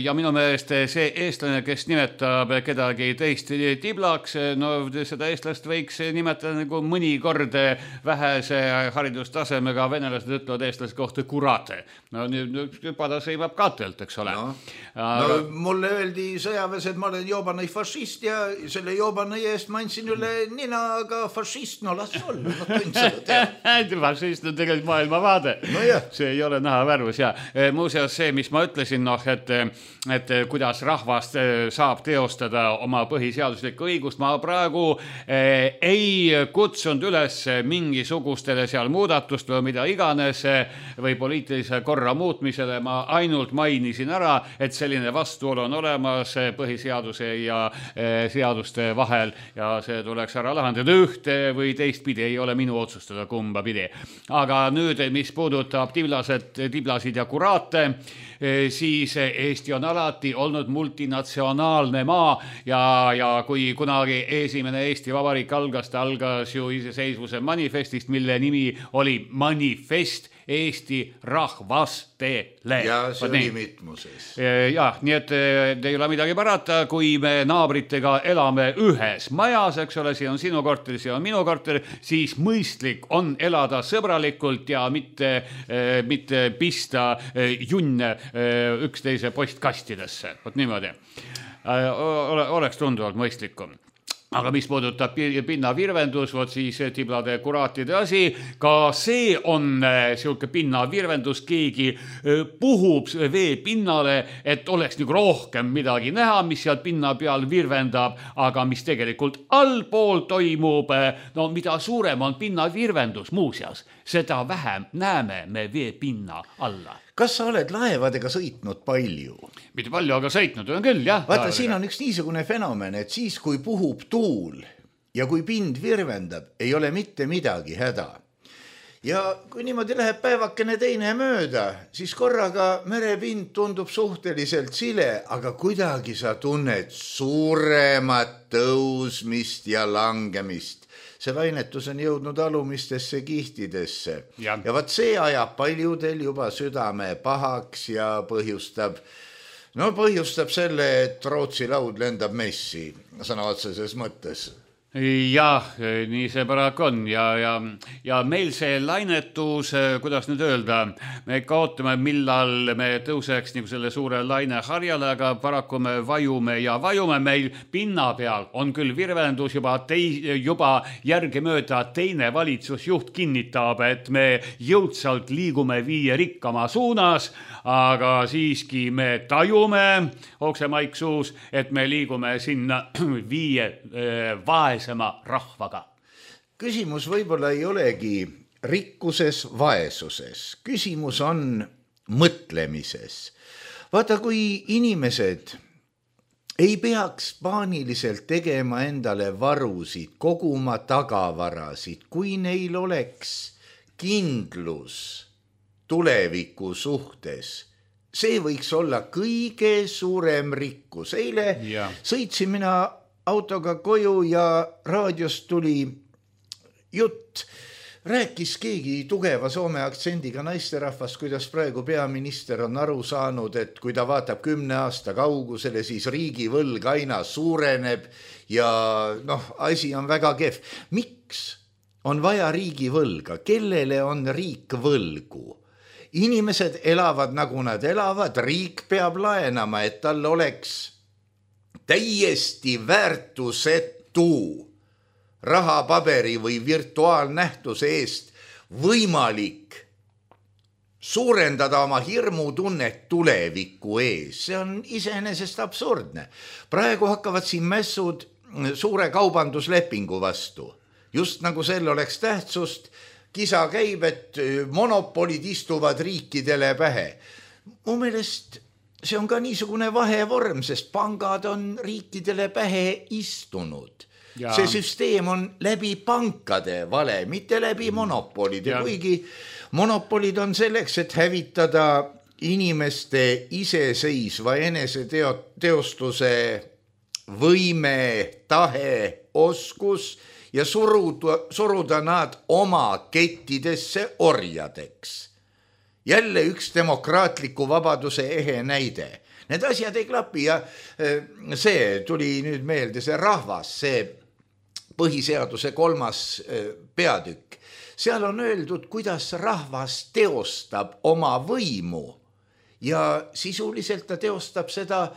Ja minu meelest see eestlane, kes nimetab kedagi teist tiblaks, no seda eestlast võiks nimetada nagu mõnikord vähese haridustasemega venelased ütlevad eestlase kohta kurate. No nüüd pada sõimab katelt, eks ole. No, mulle öeldi sõjaväes, et ma olen joobane fašist ja selle joobane eest ma andsin üle nina, aga fašist, no las olla, no tund seda teha. Fašist on tegelikult maailmavaade. No jah. See ei ole näha värvus ja muuseas see, mis ma ütlesin, et kuidas rahvast saab teostada oma põhiseaduslikku õigust, ma praegu ei kutsunud üles mingisugustele seal muudatust või mida iganes või poliitilise korra muutmisele, ma ainult mainisin ära, et selline vastuolu on olemas põhiseaduse ja seaduste vahel ja see tuleks ära lahendada ühte või teistpidi, ei ole minu otsustada kumba pidi. Aga nüüd, mis puudutab tiblasid ja kuraate, siis Eesti on alati olnud multinatsionaalne maa ja kui kunagi esimene Eesti Vabariik algas, ta algas ju iseseisvuse manifestist, mille nimi oli Manifest Eesti rahvastele. Ja see oli mitmuses. Ja, nii et ei ole midagi parata, kui me naabritega elame ühes majas, eks ole, see on sinu korter, see on minu korter, siis mõistlik on elada sõbralikult ja mitte pista junne üksteise postkastidesse. Vot niimoodi. Oleks tunduvalt mõistlikum. Aga mis puudutab pinnavirvendus, vot siis tiblade kuraatide asi, ka see on siuke pinnavirvendus, keegi puhub vee pinnale, et oleks nagu rohkem midagi näha, mis seal pinna peal virvendab, aga mis tegelikult allpool toimub, no mida suurem on pinnavirvendus muuseas, seda vähem näeme me vee pinna alla. Kas sa oled laevadega sõitnud palju? Mitte palju, aga sõitnud on küll, jah. Vaata, siin on üks niisugune fenomen, et siis, kui puhub tuul ja kui pind virvendab, ei ole mitte midagi häda. Ja kui niimoodi läheb päevakene teine mööda, siis korraga merepind tundub suhteliselt sile, aga kuidagi sa tunned suuremat tõusmist ja langemist. See lainetus on jõudnud alumistesse kihtidesse. Ja vaat see ajab paljudel juba südame pahaks ja põhjustab selle, et Rootsi laud lendab messi sõna otseses mõttes. Jah, nii see paraku on ja meil see lainetus, kuidas nüüd öelda, me ikka ootame, millal me tõuseks nagu selle suure laineharjale, aga paraku me vajume ja vajume, meil pinna peal on küll virvendus juba järgemööda teine valitsusjuht kinnitab, et me jõudsalt liigume 5 rikkama suunas, aga siiski me tajume oksemaiksuus, et me liigume sinna 5 vaesema rahvaga. Küsimus võib-olla ei olegi rikkuses, vaesuses. Küsimus on mõtlemises. Vaata, kui inimesed ei peaks paaniliselt tegema endale varusid, koguma tagavarasid, kui neil oleks kindlus tuleviku suhtes, see võiks olla kõige suurem rikkus. Eile sõitsin mina autoga koju ja raadiost tuli jutt. Rääkis keegi tugeva soome aktsendiga naisterahvast, kuidas praegu peaminister on aru saanud, et kui ta vaatab 10 aasta kaugusele, siis riigivõlg aina suureneb ja asi on väga kehv. Miks on vaja riigivõlga? Kellele on riik võlgu? Inimesed elavad nagu nad elavad, riik peab laenama, et tal oleks täiesti väärtusetu rahapaberi või virtuaalnähtuse eest võimalik suurendada oma hirmutunnet tuleviku ees. See on iseenesest absurdne. Praegu hakkavad siin mässud suure kaubanduslepingu vastu. Just nagu sel oleks tähtsust, kisa käib, et monopolid istuvad riikidele pähe. Mu meelest see on ka niisugune vahevorm, sest pangad on riikidele pähe istunud. Ja. See süsteem on läbi pankade vale, mitte läbi monopolide, kuigi monopolid on selleks, et hävitada inimeste iseseisva eneseteostuse võime, tahe, oskus ja suruda nad oma kettidesse orjadeks. Jälle üks demokraatliku vabaduse ehe näide. Need asjad ei klapi ja see tuli nüüd meelde, see rahvas, see põhiseaduse 3. peatükk. Seal on öeldud, kuidas rahvas teostab oma võimu ja sisuliselt ta teostab seda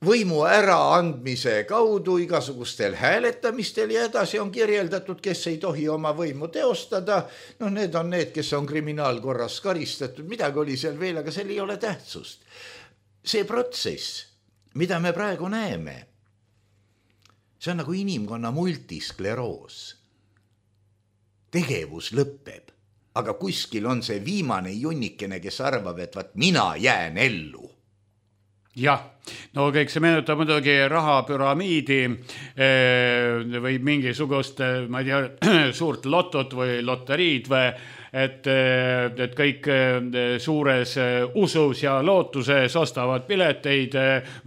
võimu äraandmise kaudu igasugustel hääletamistel ja edasi on kirjeldatud, kes ei tohi oma võimu teostada. No need on need, kes on kriminaalkorras karistatud, midagi oli seal veel, aga seal ei ole tähtsust. See protsess, mida me praegu näeme, see on nagu inimkonna multiskleroos. Tegevus lõpeb, aga kuskil on see viimane junnikene, kes arvab, et vaat mina jään ellu. Jah, no kõik see meenutab muidugi rahapüramiidi või mingisugust, ma ei tea, suurt lotot või loteriid või et kõik suures usus ja lootuses ostavad pileteid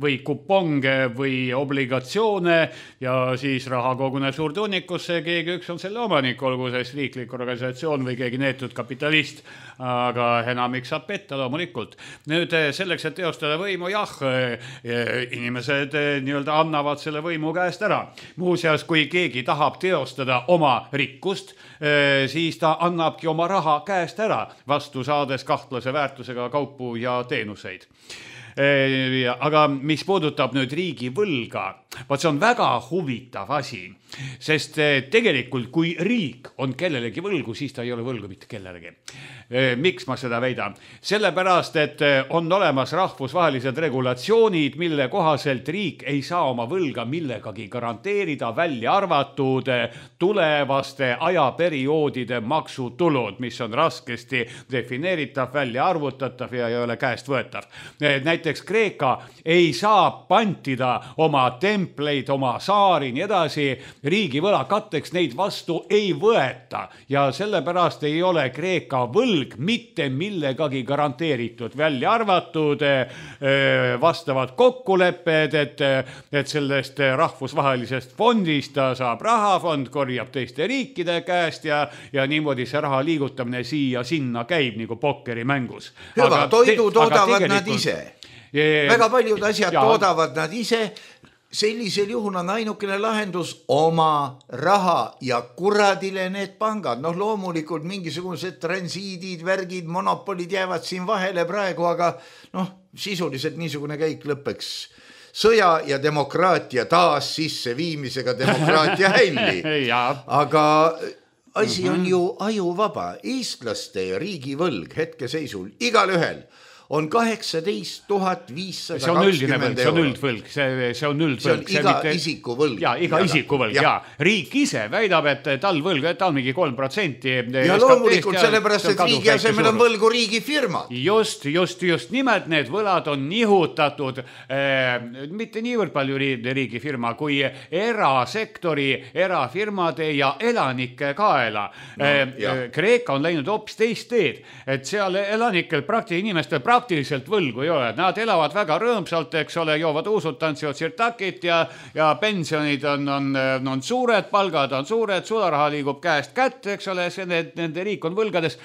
või kuponge või obligatsioone ja siis raha koguneb suurde hunnikusse, keegi üks on selle omanik, olgu siis riiklik organisatsioon või keegi neetud kapitalist, aga enamik saab petta loomulikult. Nüüd selleks, et teostada võimu, inimesed nii-öelda annavad selle võimu käest ära. Muuseas, kui keegi tahab teostada oma rikkust, siis ta annabki oma raha käest ära, vastu saades kahtlase väärtusega kaupu ja teenuseid. Aga mis puudutab nüüd riigi võlga, see on väga huvitav asi, sest tegelikult kui riik on kellelegi võlgu, siis ta ei ole võlgu mitte kellelegi. Miks ma seda väidan? Sellepärast, et on olemas rahvusvahelised regulatsioonid, mille kohaselt riik ei saa oma võlga millegagi garanteerida, välja arvatud tulevaste ajaperioodide maksutulud, mis on raskesti defineeritav, välja arvutatav ja ei ole käest võetav. Näiteks Kreeka ei saa pantida oma templeid, oma saari, nii edasi, riigi võla katteks neid vastu ei võeta ja sellepärast ei ole Kreeka võlg mitte millegagi garanteeritud, välja arvatud vastavad kokkulepped, et sellest rahvusvahelisest fondist ta saab rahafond, korjab teiste riikide käest ja niimoodi see raha liigutamine siia sinna käib nagu pokkerimängus. Hüva, toidu toodavad nad ise. Väga paljud asjad toodavad nad ise. Sellisel juhul on ainukene lahendus oma raha ja kuradile need pangad. Loomulikult mingisugused transiidid, värgid, monopolid jäävad siin vahele praegu, aga sisuliselt niisugune käik lõpeks sõja ja demokraatia taas sisse viimisega demokraatia hälli. Aga asi on ju ajuvaba. Eestlaste riigivõlg hetkeseisul igal ühel on 18 520 see on üldine, see on üldvõlg, see on üldvõlg. See on iga isiku võlg. Ja, iga isiku võlg, ja. Riik ise väidab, et tal võlg, et tal mingi 3%. Ja loomulikult sellepärast, et riigi asemel on võlgu riigifirmad. Just, nimelt need võlad on nihutatud mitte niivõrd palju riigifirma kui erasektori, erafirmade ja elanike kaela. Kreeka on läinud hoopis teist teed, et seal elanikel inimestel praktiliselt võlgu ei ole. Nad elavad väga rõõmsalt, eks ole, joovad uusud, tantsivad sirtakit ja pensionid on suured, palgad on suured, sularaha liigub käest kätte, eks ole, nende riik on võlgades.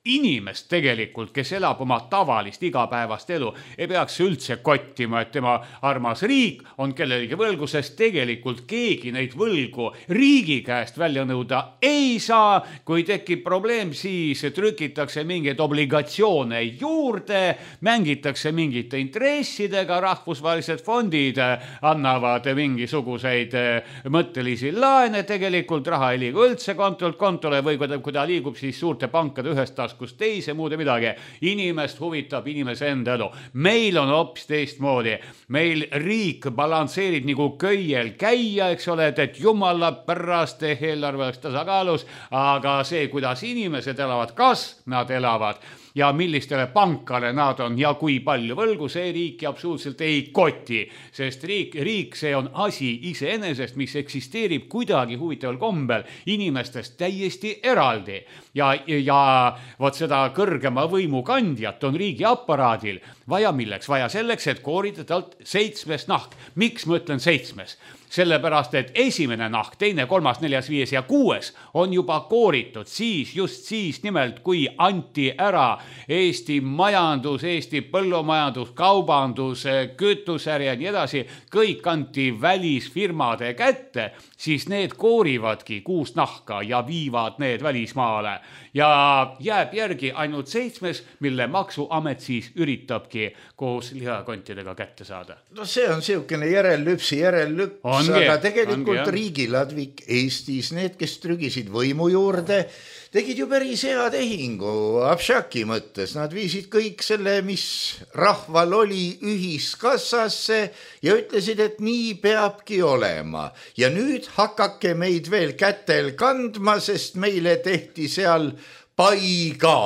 Inimest tegelikult, kes elab oma tavalist igapäevast elu, ei peaks üldse kottima, et tema armas riik on kellelegi võlgu, sest tegelikult keegi neid võlgu riigi käest välja nõuda ei saa. Kui tekib probleem, siis trükitakse mingeid obligatsioone juurde, mängitakse mingite intressidega, rahvusvahelised fondid annavad mingisuguseid mõttelisi laene, tegelikult raha ei liigu üldse kontolt kontole või kui ta liigub, siis suurte pankade ühest taas taskust teise, muud ja midagi. Inimest huvitab inimese enda elu. Meil on hoopis teistmoodi. Meil riik balansseerib nagu köiel käia, eks ole, et jumala pärast eelarve oleks tasakaalus, aga see, kuidas inimesed elavad, kas nad elavad ja millistele pankale nad on ja kui palju võlgu, see riiki absoluutselt ei koti, sest riik see on asi iseenesest, mis eksisteerib kuidagi huvitaval kombel inimestest täiesti eraldi ja vot seda kõrgema võimu kandjat on riigi aparaadil vaja milleks? Vaja selleks, et koorida talt 7 nahk. Miks ma ütlen 7? Sellepärast, et esimene nahk, 2., 3., 4., 5. ja 6. on juba kooritud just siis nimelt, kui anti ära Eesti majandus, Eesti põllumajandus, kaubandus, kütusäri ja nii edasi, kõik anti välisfirmade kätte, siis need koorivadki 6 nahka ja viivad need välismaale. Ja jääb järgi ainult 7, mille maksuamet siis üritabki koos lihakontidega kätte saada. No see on siukene järellüpsi järellüps, aga tegelikult riigiladvik Eestis, need, kes trügisid võimu juurde, tegid ju päris hea tehingu Abšaki mõttes. Nad viisid kõik selle, mis rahval oli, ühiskassasse ja ütlesid, et nii peabki olema. Ja nüüd hakake meid veel kätel kandma, sest meile tehti seal pai ka.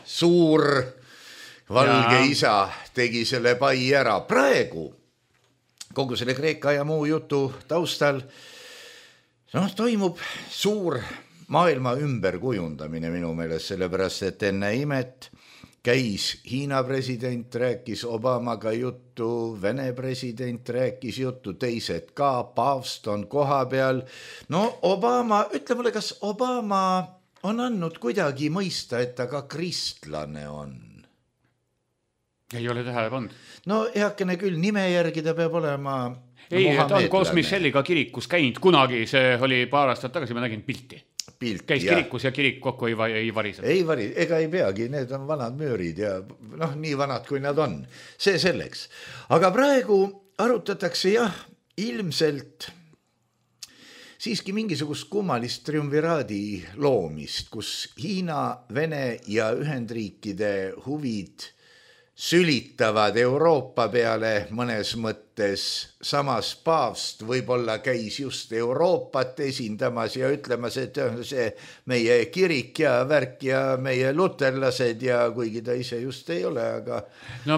Suur valge isa tegi selle pai ära. Praegu kogu selle Kreeka ja muu jutu taustal toimub suur maailma ümberkujundamine minu meelest, sellepärast, et enne imet käis Hiina president, rääkis Obamaga juttu, Vene president rääkis juttu, teised ka, paavst on koha peal. Obama, ütle mulle, kas Obama on andnud kuidagi mõista, et ta ka kristlane on? Ei ole tähele pannud. Heakene küll, nime järgi ta peab olema ta on koos Michelliga kirikus käinud kunagi, see oli paar aastat tagasi, ma nägin pilti. Käis kirikus ja kirik kokku ei varised. Ei varised, ega ei peagi, need on vanad möörid ja nii vanad, kui nad on. See selleks. Aga praegu arutatakse ilmselt siiski mingisugust kummalist triumviraadi loomist, kus Hiina, Vene ja Ühendriikide huvid sülitavad Euroopa peale mõnes mõttes, samas paavst võib-olla käis just Euroopat esindamas ja ütlemas, et see meie kirik ja värk ja meie luterlased ja kuigi ta ise just ei ole, aga...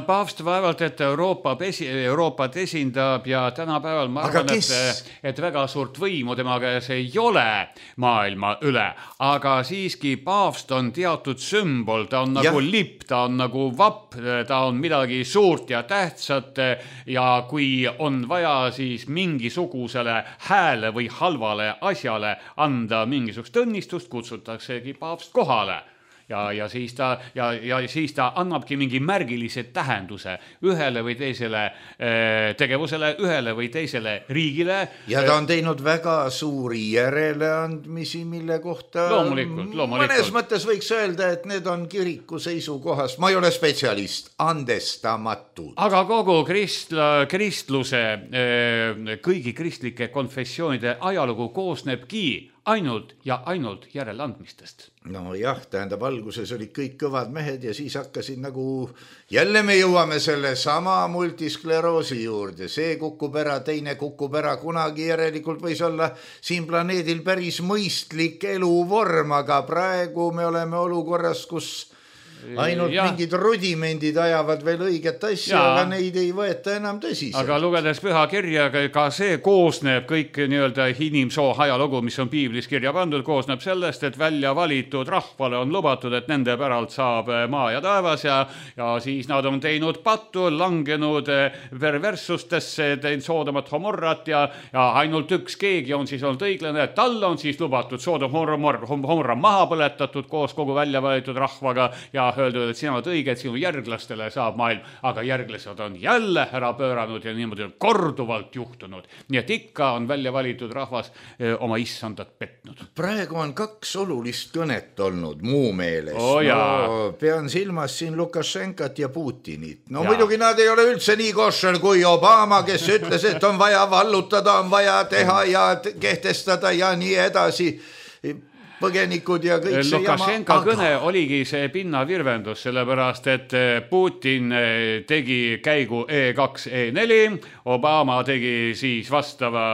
paavst vaevalt, et Euroopat esindab ja tänapäeval ma arvan, et väga suurt võimu tema käes ei ole maailma üle, aga siiski paavst on teatud sümbol, ta on nagu lipp, ta on nagu vapp, ta on midagi suurt ja tähtsat ja kui on vaja siis mingisugusele hääle või halvale asjale anda mingisugust õnnistust, kutsutaksegi paavst kohale. Ja siis ta annabki mingi märgilise tähenduse ühele või teisele tegevusele, ühele või teisele riigile. Ja ta on teinud väga suuri järeleandmisi, mille kohta loomulikult. Mõnes mõttes võiks öelda, et need on kiriku seisukohast, ma ei ole spetsialist, andestamatud. Aga kogu kristluse, kõigi kristlike konfessioonide ajalugu koosnebki ainult järeleandmistest. Tähendab, alguses olid kõik kõvad mehed ja siis hakkasid jälle me jõuame selle sama multiskleroosi juurde. See kukub ära, teine kukub ära, kunagi järelikult võis olla siin planeedil päris mõistlik eluvorm, aga praegu me oleme olukorras, kus ainult mingid rudimendid ajavad veel õiget asja, aga neid ei võeta enam tõsiselt. Aga lugedes püha kirja, ka see koosneb kõik nii-öelda inimsoo ajalugu, mis on piiblis kirja pandud, koosneb sellest, et välja valitud rahvale on lubatud, et nende päralt saab maa ja taevas ja siis nad on teinud pattu, langenud perverssustesse, teinud Soodomat Homorrat ja ainult üks keegi on siis olnud õiglane, et tal on siis lubatud Soodom Homorra maha põletatud koos kogu välja valitud rahvaga ja öeldud, et sina oled õige, et sinu järglastele saab maailm, aga järglased on jälle ära pööranud ja niimoodi on korduvalt juhtunud. Nii et ikka on välja valitud rahvas oma issandat petnud. Praegu on 2 olulist kõnet olnud muu meelest. Pean silmas siin Lukašenkat ja Putinit. Muidugi nad ei ole üldse nii koššel kui Obama, kes ütles, et on vaja vallutada, on vaja teha ja kehtestada ja nii edasi. põgenikud ja kõik see Lukašenka kõne oligi see pinnavirvendus, sellepärast et Putin tegi käigu E2, E4, Obama tegi siis vastava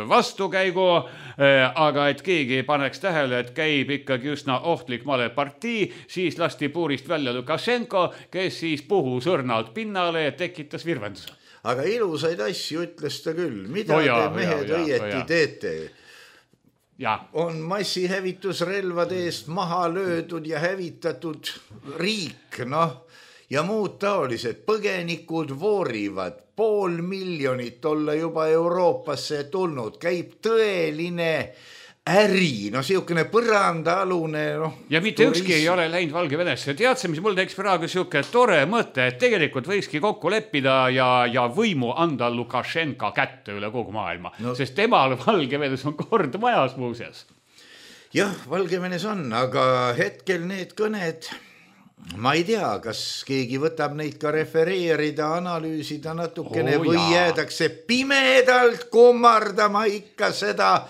vastukäigu, aga et keegi paneks tähele, et käib ikkagi üsna ohtlik malepartii, siis lasti puurist välja Lukašenko, kes siis puhus õrnalt pinnale ja tekitas virvenduse. Aga ilusaid asju ütles ta küll, mida te mehed õieti teete? Ja. On massihävitusrelvade eest maha löödud ja hävitatud riik, ja muud taolised põgenikud voorivad, 500 000 olla juba Euroopasse tulnud, käib tõeline äri, siukene põrandaalune, ja mitte ükski ei ole läinud Valgevenesse. Teadse, mis mul teeks praegu siuke tore mõte, et tegelikult võikski kokku leppida ja võimu anda Lukašenka kätte üle kogu maailma, sest temal Valgevenes on kord majas muuseas. Jah, Valgevenes on, aga hetkel need kõned, ma ei tea, kas keegi võtab neid ka refereerida, analüüsida natukene või jäädakse pimedalt kummardama ikka seda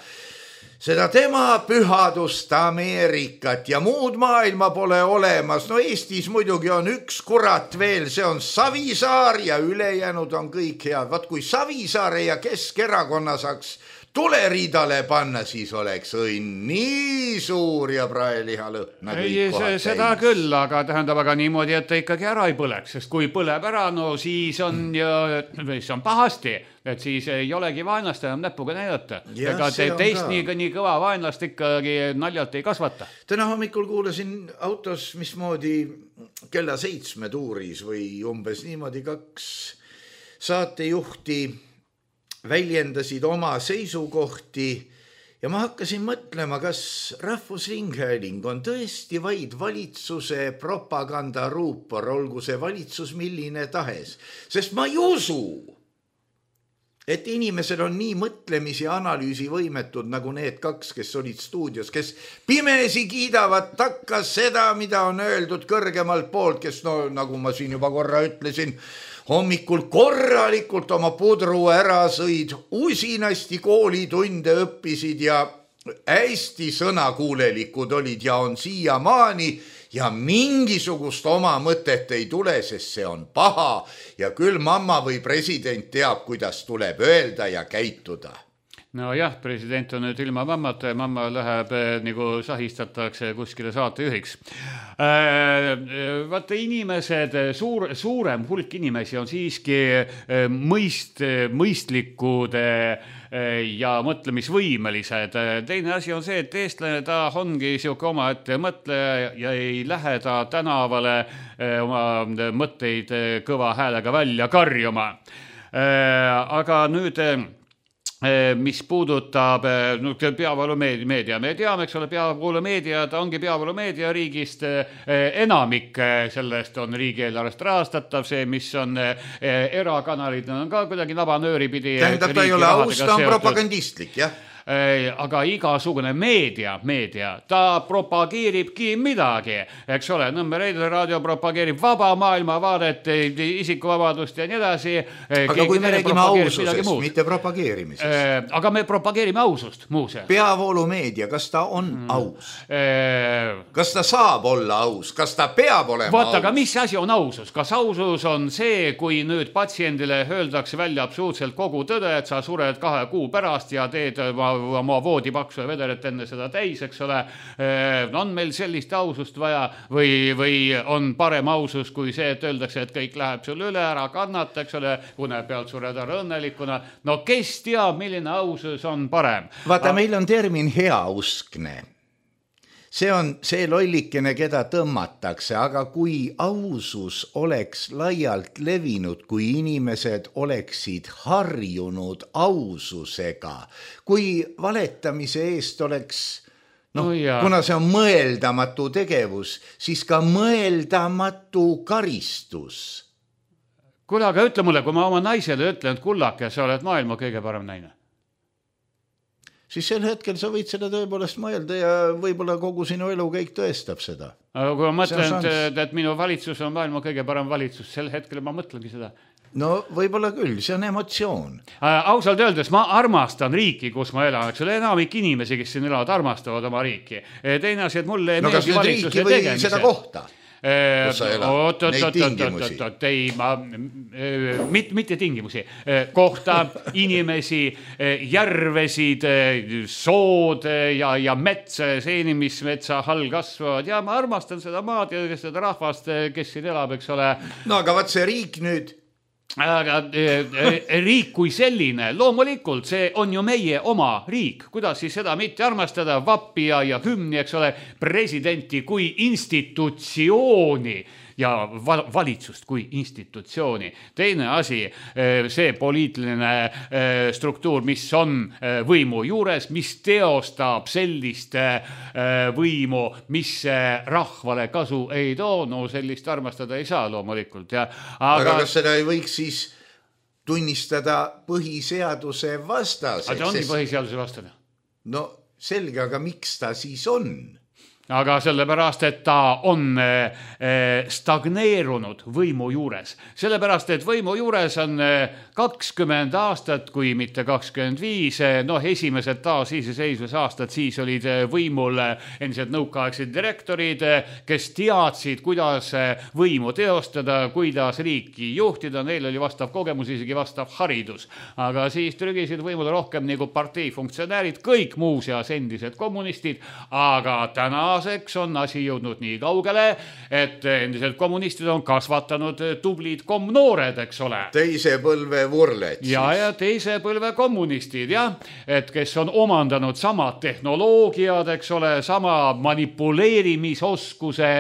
tema pühadust Ameerikat ja muud maailma pole olemas. Eestis muidugi on üks kurat veel, see on Savisaar ja ülejäänud on kõik head. Vaat kui Savisaare ja Keskerakonna saaks tuleriidale panna, siis oleks õnn nii suur ja praeliha lõhna kõik kohad täis. Seda küll, aga tähendab aga niimoodi, et ta ikkagi ära ei põleks, sest kui põleb ära, siis on pahasti, et siis ei olegi vaenlast enam näpuga näidata. Ega teist nii kõva vaenlast ikkagi naljalt ei kasvata. Täna hommikul kuulasin autos, mismoodi kella 7 tuuris või umbes niimoodi 2 saatejuhti väljendasid oma seisukohti ja ma hakkasin mõtlema, kas Rahvusringhääling on tõesti vaid valitsuse propagandaruupor, olgu see valitsus milline tahes, sest ma ei usu, et inimesed on nii mõtlemis- ja analüüsivõimetud nagu need 2, kes olid stuudios, kes pimesi kiidavad takka seda, mida on öeldud kõrgemalt poolt, kes nagu ma siin juba korra ütlesin, hommikul korralikult oma pudru ära sõid, usinasti koolitunde õppisid ja hästi sõnakuulelikud olid ja on siiamaani ja mingisugust oma mõtet ei tule, sest see on paha ja küll mamma või president teab, kuidas tuleb öelda ja käituda. No jah, president on nüüd ilma mammata ja mamma läheb nagu sahistatakse kuskile saatejuhiks. Vaata inimesed, suurem hulk inimesi on siiski mõistlikud ja mõtlemisvõimelised. Teine asi on see, et eestlane ta ongi siuke oma ette mõtleja ja ei lähe ta tänavale oma mõtteid kõva häälega välja karjuma. Aga nüüd mis puudutab peavoolumeedia. Me teame, eks ole, peavoolumeedia, ta ongi peavoolumeedia riigist, enamik sellest on riigieelarvest rahastatav, see, mis on erakanalid, on ka kuidagi nabanööri pidi. Tähendab, ta ei ole aus, ta on propagandistlik, jah? Aga igasugune meedia, ta propageeribki midagi, eks ole, Nõmme Reidel raadio propageerib vaba maailma vaadet, isikuvabadust ja nii edasi. Aga kui me räägime aususest, mitte propageerimisest. Aga me propageerime ausust, muuse. Peavoolumeedia, kas ta on aus? Kas ta saab olla aus? Kas ta peab olema aus? Aga mis asi on ausus? Kas ausus on see, kui nüüd patsiendile öeldakse välja absoluutselt kogu tõde, et sa sured 2 kuu pärast ja teed oma voodipaksu ja vederet enne seda täis, eks ole, on meil sellist ausust vaja või on parem ausus kui see, et öeldakse, et kõik läheb sul üle, ära kannata, eks ole, une pealt sured ära õnnelikuna. No kes teab, milline ausus on parem? Vaata, meil on termin heauskne. See on see lollikene, keda tõmmatakse, aga kui ausus oleks laialt levinud, kui inimesed oleksid harjunud aususega, kui valetamise eest oleks, kuna see on mõeldamatu tegevus, siis ka mõeldamatu karistus. Kuule, aga ütle mulle, kui ma oma naisele ütlen, et kullake, sa oled maailma kõige parem naine. Siis sel hetkel sa võid seda tõepoolest mõelda ja võib-olla kogu sinu elu kõik tõestab seda. Aga kui ma mõtlen, et minu valitsus on maailma kõige parem valitsus, sel hetkel ma mõtlengi seda. no võib-olla küll, see on emotsioon. Ausalt öeldes ma armastan riiki, kus ma elan, eks ole, enamik inimesi, kes siin elavad, armastavad oma riiki. Teine asi, et mulle no kas nüüd riiki või tegemise. Seda kohta? Ei, mitte tingimusi, kohta, inimesi, järvesid, sood ja metsa, seenimismetsa all kasvavad ja ma armastan seda maad ja seda rahvast, kes siin elab, eks ole. No aga vaat see riik nüüd aga riik kui selline, loomulikult see on ju meie oma riik, kuidas siis seda mitte armastada, vappi ja hümni, eks ole, presidenti kui institutsiooni ja valitsust kui institutsiooni. Teine asi, see poliitiline struktuur, mis on võimu juures, mis teostab sellist võimu, mis rahvale kasu ei too, no sellist armastada ei saa loomulikult. Aga kas seda ei võiks siis tunnistada põhiseaduse vastaseks? Aga ta ongi põhiseaduse vastane. No selge, aga miks ta siis on? Aga sellepärast, et ta on stagneerunud võimu juures. Sellepärast, et võimu juures on 20 aastat, kui mitte 25, esimesed taasiseseisvuse aastad, siis olid võimul endiselt nõukaaegsed direktorid, kes teadsid, kuidas võimu teostada, kuidas riiki juhtida, neil oli vastav kogemus, isegi vastav haridus. Aga siis trügisid võimule rohkem nagu parteifunktsionäärid, kõik muuseas endised kommunistid, aga tänaseks on asi jõudnud nii kaugele, et endiselt kommunistid on kasvatanud tublid komnoored, eks ole. Teise põlve vurled siis. Ja teise põlve kommunistid, jah, et kes on omandanud sama tehnoloogiad, eks ole, sama manipuleerimisoskuse,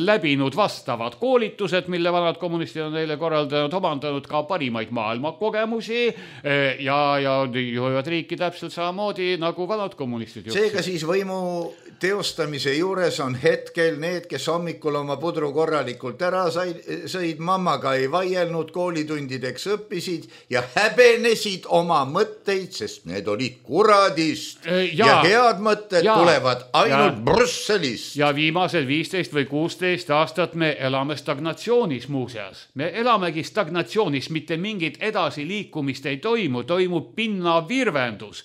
läbinud vastavad koolitused, mille vanad kommunistid on neile korraldanud, omandanud ka parimaid maailmakogemusi ja juhivad riiki täpselt samamoodi nagu vanad kommunistid. Seega siis võimu teostamise juures on hetkel need, kes hommikul oma pudru korralikult ära sõid, mammaga ei vaielnud, koolitundideks õppisid ja häbenesid oma mõtteid, sest need olid kuradist ja head mõtted tulevad ainult Brüsselist. Ja viimased 15 või 16 aastat me elame stagnatsioonis muuseas. Me elamegi stagnatsioonis, mitte mingit edasiliikumist ei toimu, toimub pinnavirvendus.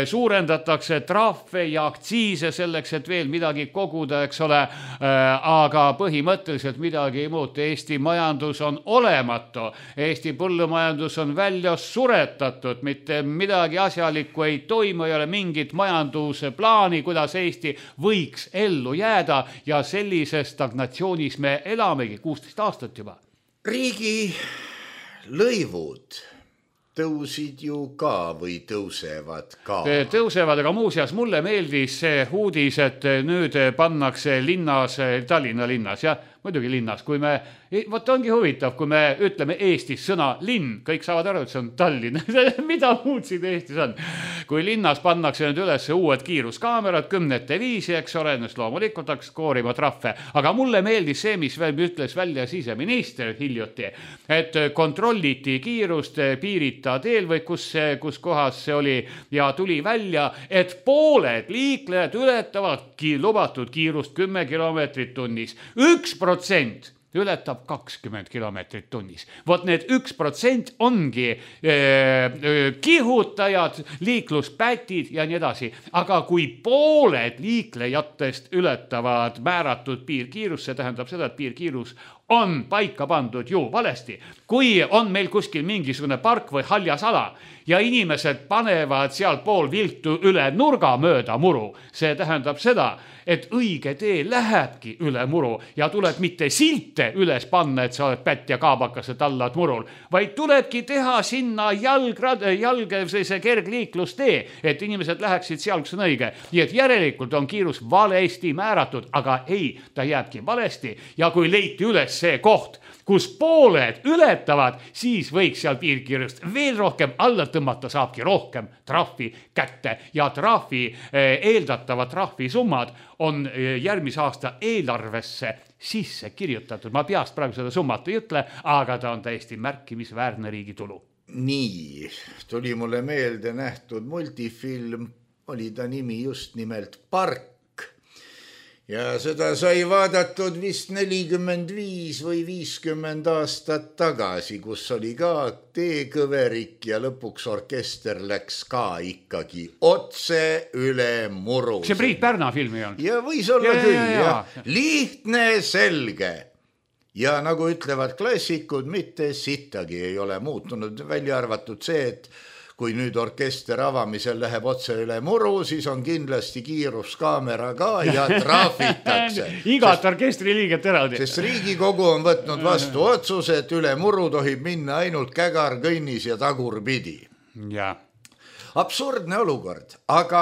Suurendatakse trahve ja aktsiise selleks, et veel midagi koguda, eks ole, aga põhimõtteliselt midagi ei muutu. Eesti majandus on olematu, Eesti põllumajandus on välja suretatud, mitte midagi asjalikku ei toimu, ei ole mingit majanduse plaani, kuidas Eesti võiks ellu jääda ja sellises stagnatsioonis me elamegi 16 aastat juba. Riigi lõivud tõusid ju ka või tõusevad ka? Tõusevad, aga muuseas mulle meeldis see uudis, et nüüd pannakse linnas, Tallinna linnas, jah, muidugi linnas, kui me, võt ongi huvitav, kui me ütleme Eestis sõna linn, kõik saavad aru, et see on Tallinn. Mida muud siin Eestis on? Kui linnas pannakse nüüd üles uued kiiruskaamerad, 10 viisi, eks ole, ennast loomulikult hakkas koorima trahve. Aga mulle meeldis see, mis veel ütles välja siseminister hiljuti, et kontrolliti kiirust piirita teel või kus kohas see oli ja tuli välja, et pooled liiklejad ületavad lubatud kiirust 10 kilomeetrit tunnis. 1% ületab 20 kilomeetrit tunnis. Vot need 1% ongi kihutajad, liikluspätid ja nii edasi. Aga kui pooled liiklejatest ületavad määratud piirkiirus, see tähendab seda, et piirkiirus on paika pandud ju valesti. Kui on meil kuskil mingisugune park või haljas ala ja inimesed panevad seal pool viltu üle nurga mööda muru, see tähendab seda, et õige tee lähebki üle muru ja tuleb mitte silte üles panna, et sa oled pätt ja kaabakas, et allad murul, vaid tulebki teha sinna see kergliiklustee, et inimesed läheksid seal, kus on õige. Nii et järelikult on kiirus valesti määratud, aga ei, ta jääbki valesti ja kui leiti üles see koht, kus pooled ületavad, siis võiks seal piirkiirust veel rohkem alla tõmmata, saabki rohkem trahvi kätte ja eeldatavad trahvisummad on järgmise aasta eelarvesse sisse kirjutatud. Ma peast praegu seda summat ei ütle, aga ta on täiesti märkimisväärne riigi tulu. Nii, tuli mulle meelde nähtud multifilm, oli ta nimi just nimelt Park. ja seda sai vaadatud vist 45 või 50 aastat tagasi, kus oli ka teekõverik ja lõpuks orkester läks ka ikkagi otse üle muru. See Priit Pärna filmi on. Ja võis olla küll, jah. Lihtne, selge. Ja nagu ütlevad klassikud, mitte sittagi ei ole muutunud, välja arvatud see, et kui nüüd orkester avamisel läheb otse üle muru, siis on kindlasti kiiruskaamera ka ja trahvitakse. Igat orkestri liiget eraldi. Sest Riigikogu on võtnud vastu otsuse, et üle muru tohib minna ainult kägar, kõnnis ja tagurpidi. Ja. Absurdne olukord, aga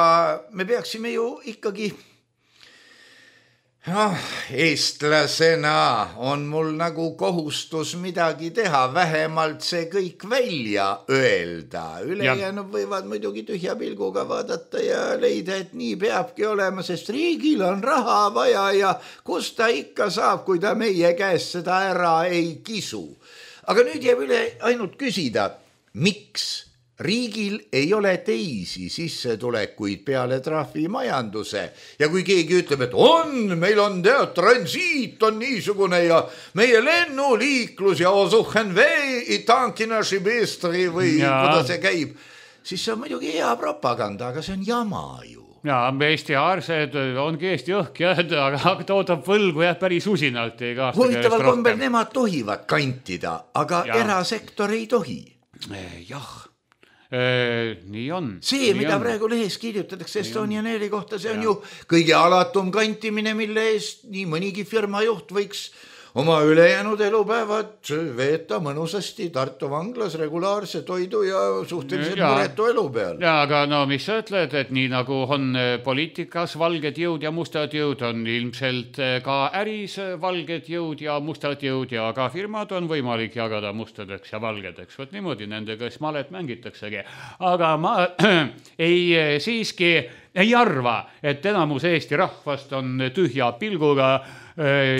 me peaksime ju ikkagi... eestlasena on mul nagu kohustus midagi teha, vähemalt see kõik välja öelda. Ülejäänud võivad muidugi tühja pilguga vaadata ja leida, et nii peabki olema, sest riigil on raha vaja ja kus ta ikka saab, kui ta meie käest seda ära ei kisu. Aga nüüd jääb üle ainult küsida, miks riigil ei ole teisi sissetulekuid peale trahvimajanduse ja kui keegi ütleb, et meil on transiit on niisugune ja meie lennuliiklus ja osuhen vee i tankina šibistri või kuidas see käib, siis see on muidugi hea propaganda, aga see on jama ju. Ja, Eesti aarsed ongi Eesti õhk, aga toodab võlgu päris usinalt. Huvitaval kombel nemad tohivad kantida, aga erasektor ei tohi. Jah. Nii on. See, mida praegu lehes kirjutatakse Estonian Airi kohta, see on ju kõige alatum kantimine, mille eest nii mõnigi firma juht võiks oma ülejäänud elupäevad veeta mõnusasti Tartu vanglas regulaarse toidu ja suhteliselt muretu elu peal. Ja, aga no mis sa ütled, et nii nagu on poliitikas valged jõud ja mustad jõud, on ilmselt ka äris valged jõud ja mustad jõud ja ka firmad on võimalik jagada mustadeks ja valgedeks. Võt niimoodi nendega smalet mängitaksegi. Aga ma siiski ei arva, et enamus Eesti rahvast on tühja pilguga.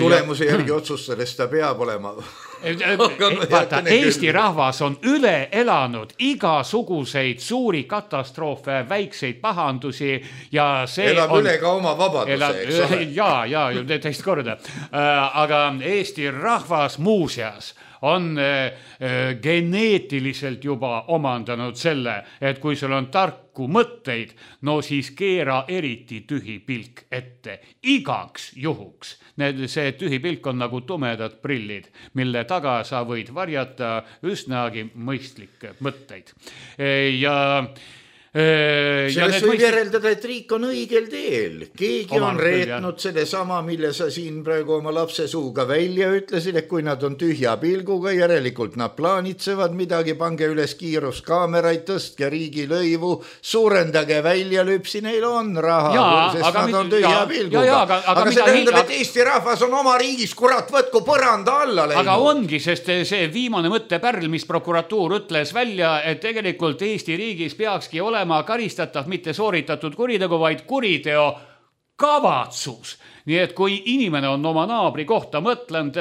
Tulemuse järgi otsustades ta peab olema. Vaata, Eesti rahvas on üle elanud igasuguseid suuri katastroofe, väikseid pahandusi ja see elab üle ka oma vabaduse, eks ole. Ja, teist korda. Aga Eesti rahvas muuseas on geneetiliselt juba omandanud selle, et kui sul on tarku mõtteid, no siis keera eriti tühi pilk ette. Igaks juhuks. See tühi pilk on nagu tumedad prillid, mille taga sa võid varjata üsnagi mõistlikke mõtteid. Sellest võib järeldada, et riik on õigel teel. Keegi on reetnud selle sama, mille sa siin praegu oma lapse suuga välja ütlesid, et kui nad on tühja pilguga, järelikult nad plaanitsevad midagi, pange üles kiiruskaameraid, tõstke riigilõivu, suurendage välja lüpsi, neil on raha, sest nad on tühja pilguga. Aga see tähendab, et Eesti rahvas on oma riigis, kurat, võtku põranda alla läinud. Aga ongi, sest see viimane mõttepärl, mis prokuratuur ütles välja, et tegelikult Eesti riigis peakski olema karistatav mitte sooritatud kuritegu, vaid kuriteo kavatsus. Nii et kui inimene on oma naabri kohta mõtlenud,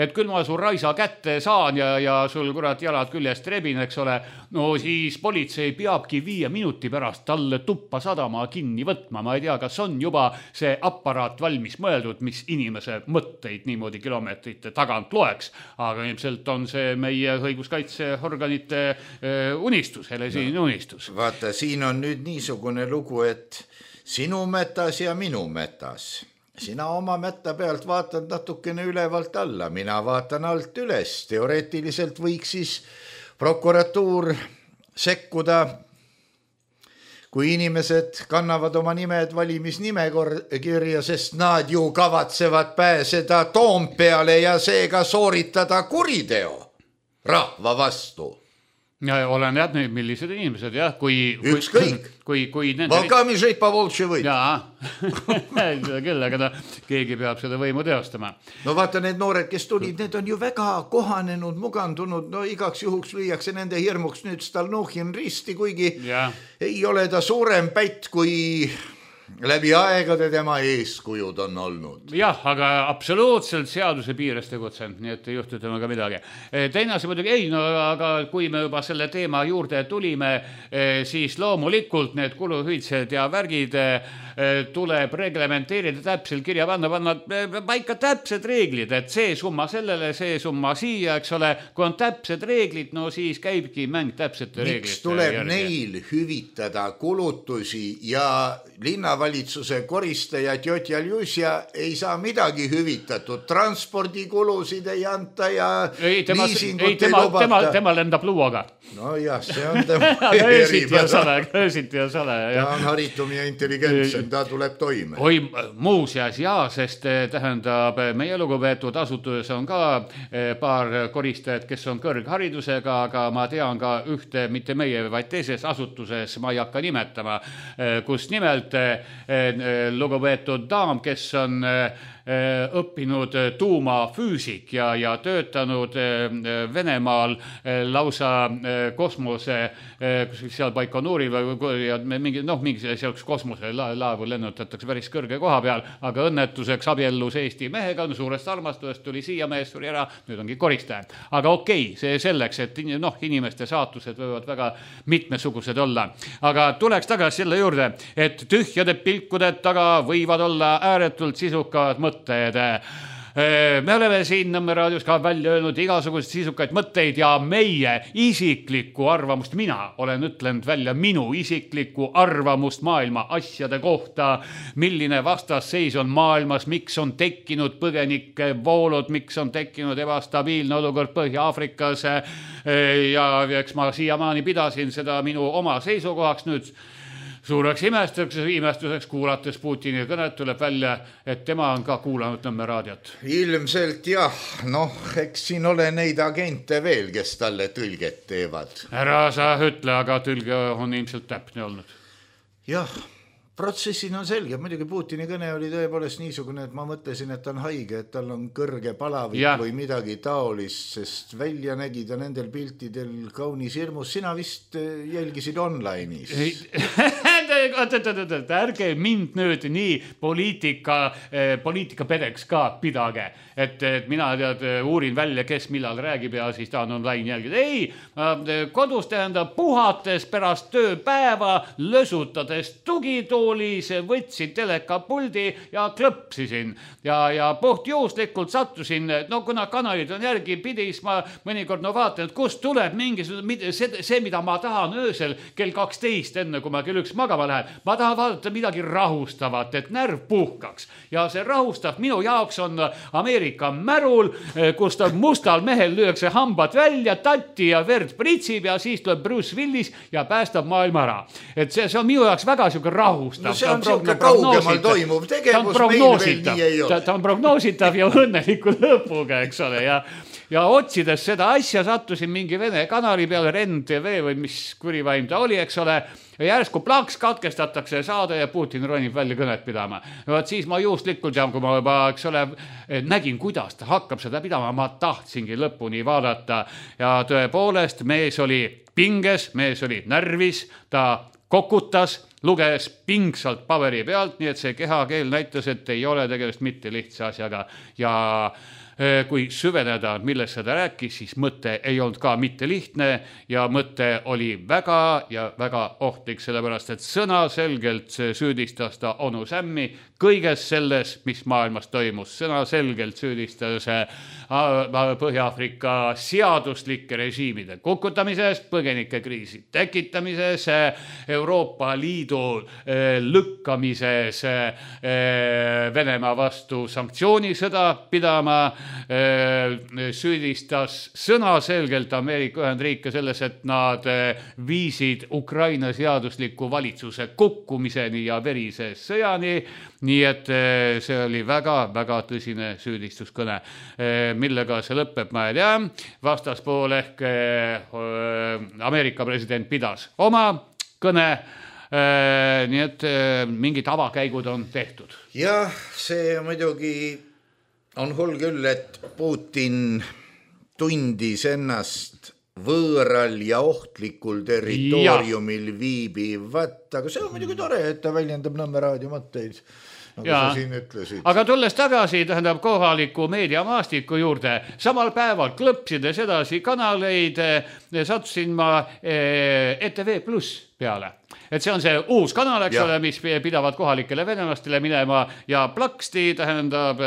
et küll ma su raisa kätte saan ja sul kurat jalad küljest rebin, eks ole, no siis politsei peabki 5 minuti pärast talle tuppa sadama kinni võtma. Ma ei tea, kas on juba see aparaat valmis mõeldud, mis inimese mõtteid niimoodi kilomeetrite tagant loeks, aga ilmselt on see meie õiguskaitseorganite unistus, helesiin unistus. Vaata, siin on nüüd niisugune lugu, et sinu metas ja minu metas. Sina oma metta pealt vaatad natukene ülevalt alla, mina vaatan alt üles. Teoreetiliselt võiks siis prokuratuur sekkuda, kui inimesed kannavad oma nimed valimisnimekirja, sest nad ju kavatsevad pääseda Toompeale ja seega sooritada kuriteo rahva vastu. Ja olen jätnud, millised inimesed, jah, ükskõik. Valkamisõid Pavoltši võid. Jaa, küll, aga keegi peab seda võimu teostama. No vaata, need noored, kes tulid, need on ju väga kohanenud, mugandunud, no igaks juhuks lüüakse nende hirmuks nüüd Stalnuhhin risti, kuigi ei ole ta suurem pätt, kui läbi aegade tema eeskujud on olnud. Jah, aga absoluutselt seaduse piires tegutsenud, nii et ei juhtu temaga midagi. Teine asi muidugi aga kui me juba selle teema juurde tulime, siis loomulikult need kuluhüvitised ja värgid tuleb reglementeerida täpselt kirja panna paika täpsed reeglid, et see summa sellele, see summa siia, eks ole, kui on täpsed reeglid, no siis käibki mäng täpsete reeglite. Miks tuleb neil hüvitada kulutusi ja linnavalitsuse koristajad Jotjal Jusja ei saa midagi hüvitatud, transpordikulusid ei anta ja liisingut ei lubata. Tema lendab luuaga. No jah, see on tema öösiti ja sale. Ta on haritum ja intelligentsem, ta tuleb toime. Oi, muuseas jaa, sest tähendab, meie lugupeetud asutuses on ka paar koristajat, kes on kõrgharidusega, aga ma tean ka ühte, mitte meie, vaid teises asutuses, ma ei hakka nimetama, kus nimelt lugupeetud daam, kes on õppinud tuumafüüsik ja töötanud Venemaal lausa kosmose seal Baikonuuri või mingi selleks kosmose laevu lennutatakse päris kõrge koha peal, aga õnnetuseks abiellus Eesti mehega, suurest armastusest tuli siia, mees suri ära, nüüd ongi koristaja. Aga okei, see selleks, et inimeste saatused võivad väga mitmesugused olla. Aga tuleks tagasi selle juurde, et tühjade pilkude taga võivad olla ääretult sisukad mõtted. Me oleme siin Nõmme raadios ka välja öelnud igasuguseid sisukaid mõtteid ja meie isiklikku arvamust, mina olen ütlenud välja minu isiklikku arvamust maailma asjade kohta, milline vastasseis on maailmas, miks on tekkinud põgenike voolud, miks on tekkinud ebastabiilne olukord Põhja-Aafrikas ja eks ma siiamaani pidasin seda minu oma seisukohaks nüüd. Suureks imestuseks kuulates Putini kõnet tuleb välja, et tema on ka kuulanud Nõmme raadiot. Ilmselt jah, eks siin ole neid agente veel, kes talle tõlget teevad. Ära sa ütle, aga tõlge on ilmselt täpne olnud. Jah, protsessin on selge, muidugi Putini kõne oli tõepoolest niisugune, et ma mõtlesin, et ta on haige, et tal on kõrge palavik või midagi taolist, sest välja nägi ta nendel piltidel kaunis hirmus. Sina vist jälgisid online'is. Ärge mind nüüd nii poliitika pedeks ka pidage, et mina uurin välja, kes millal räägib ja siis tahan online jälgida. Ei, kodus tähendab puhates pärast tööpäeva, lösutades tugitoolis, võtsin telekapuldi ja klõpsisin ja puhtjuhuslikult sattusin, kuna kanalid on järgi pidis, ma mõnikord vaatan, et kust tuleb mingisugune see, mida ma tahan öösel kell 12, enne kui ma kell 1 magama lähen. Ma tahan vaadata midagi rahustavat, et närv puhkaks. Ja see rahustav minu jaoks on Ameerika märul, kus ta mustal mehel lüüakse hambad välja, tatti ja verd pritsib ja siis tuleb Bruce Willis ja päästab maailma ära. Et see on minu jaoks väga siuke rahustav. No see on siuke kaugemal toimuv tegevus, meil veel nii ei ole. Ta on prognoositav ja õnneliku lõpuga, eks ole, ja otsides seda asja sattusin mingi Vene kanali peale, REN-TV või mis kurivaim ta oli, eks ole, ja järsku plaks katkestatakse saade ja Putin ronib välja kõnet pidama. Vaat siis ma juhuslikult ja kui ma juba, eks ole, nägin, kuidas ta hakkab seda pidama, ma tahtsingi lõpuni vaadata ja tõepoolest mees oli pinges, mees oli närvis, ta kokutas, luges pingsalt paberi pealt, nii et see kehakeel näitas, et ei ole tegemist mitte lihtsa asjaga ja kui süveneda, millest seda rääkis, siis mõte ei olnud ka mitte lihtne ja mõte oli väga ja väga ohtlik, sellepärast et sõna selgelt süüdistas ta onu Sämmi kõiges selles, mis maailmas toimus. Sõna selgelt süüdistas Põhja-Aafrika seaduslike režiimide kukutamises, põgenike kriisi tekitamises, Euroopa Liidu lükkamises Venemaa vastu sanktsioonisõda pidama, süüdistas sõna selgelt Ameerika Ühendriike selles, et nad viisid Ukraina seadusliku valitsuse kukkumiseni ja verise sõjani, nii et see oli väga-väga tõsine süüdistuskõne. Millega see lõpeb, ma ei tea. Vastaspool ehk Ameerika president pidas oma kõne, nii et mingid avakäigud on tehtud. Jah, see muidugi on hull küll, et Putin tundis ennast võõral ja ohtlikul territooriumil viibivat, aga see on muidugi tore, et ta väljendab Nõmme raadio mõtteid, nagu sa siin ütlesid. Aga tulles tagasi, tähendab kohaliku meediamaastiku juurde, samal päeval klõpsides edasi kanaleid, sattusin ma ETV+. peale. Et see on see uus kanal, eks ole, mis pidavad kohalikele venemastele minema ja plaksti, tähendab,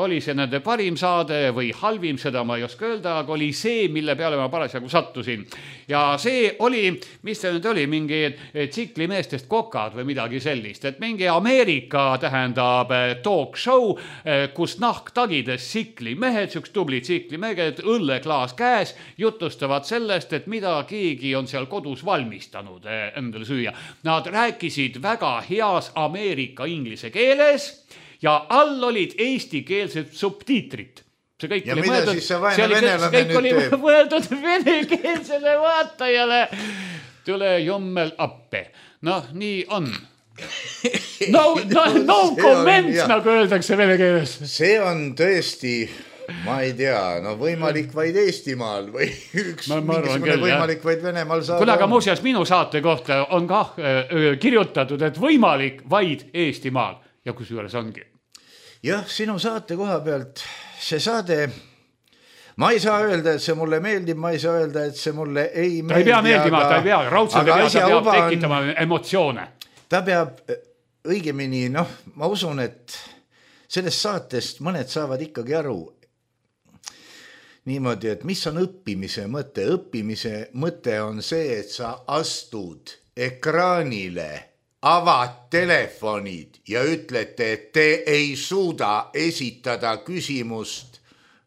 oli see nende parim saade või halvim, seda ma ei oska öelda, aga oli see, mille peale ma parasjagu sattusin. Ja see oli, mis see nüüd oli, mingi tsiklimeestest kokad või midagi sellist, et mingi Ameerika, tähendab, talk show, kus nahktagides tsiklimehed, üks tubli tsiklimehed, õlleklaas käes, jutustavad sellest, et mida keegi on seal kodus valmistanud endale süüa. Nad rääkisid väga heas Ameerika inglise keeles ja all olid eestikeelsed subtiitrid. See kõik oli mõeldud, kõik oli mõeldud venekeelsele vaatajale. Tule jommel appe. Noh, nii on. No comments, nagu öeldakse vene keeles. See on tõesti... Ma ei tea, no võimalik vaid Eestimaal või mingisugune võimalik vaid Venemaal saada. Kuna aga muuseas minu saate kohta on ka kirjutatud, et võimalik vaid Eestimaal ja kusjuures ongi. Jah, sinu saate koha pealt see saade, ma ei saa öelda, et see mulle meeldib, ma ei saa öelda, et see mulle ei meeldi. Ta ei pea meeldima, ta ei pea, raudselt peab tekitama emotsioone. Ta peab õigemini, ma usun, et sellest saatest mõned saavad ikkagi aru, niimoodi, et mis on õppimise mõte? Õppimise mõte on see, et sa astud ekraanile, avad telefonid ja ütlete, et te ei suuda esitada küsimust,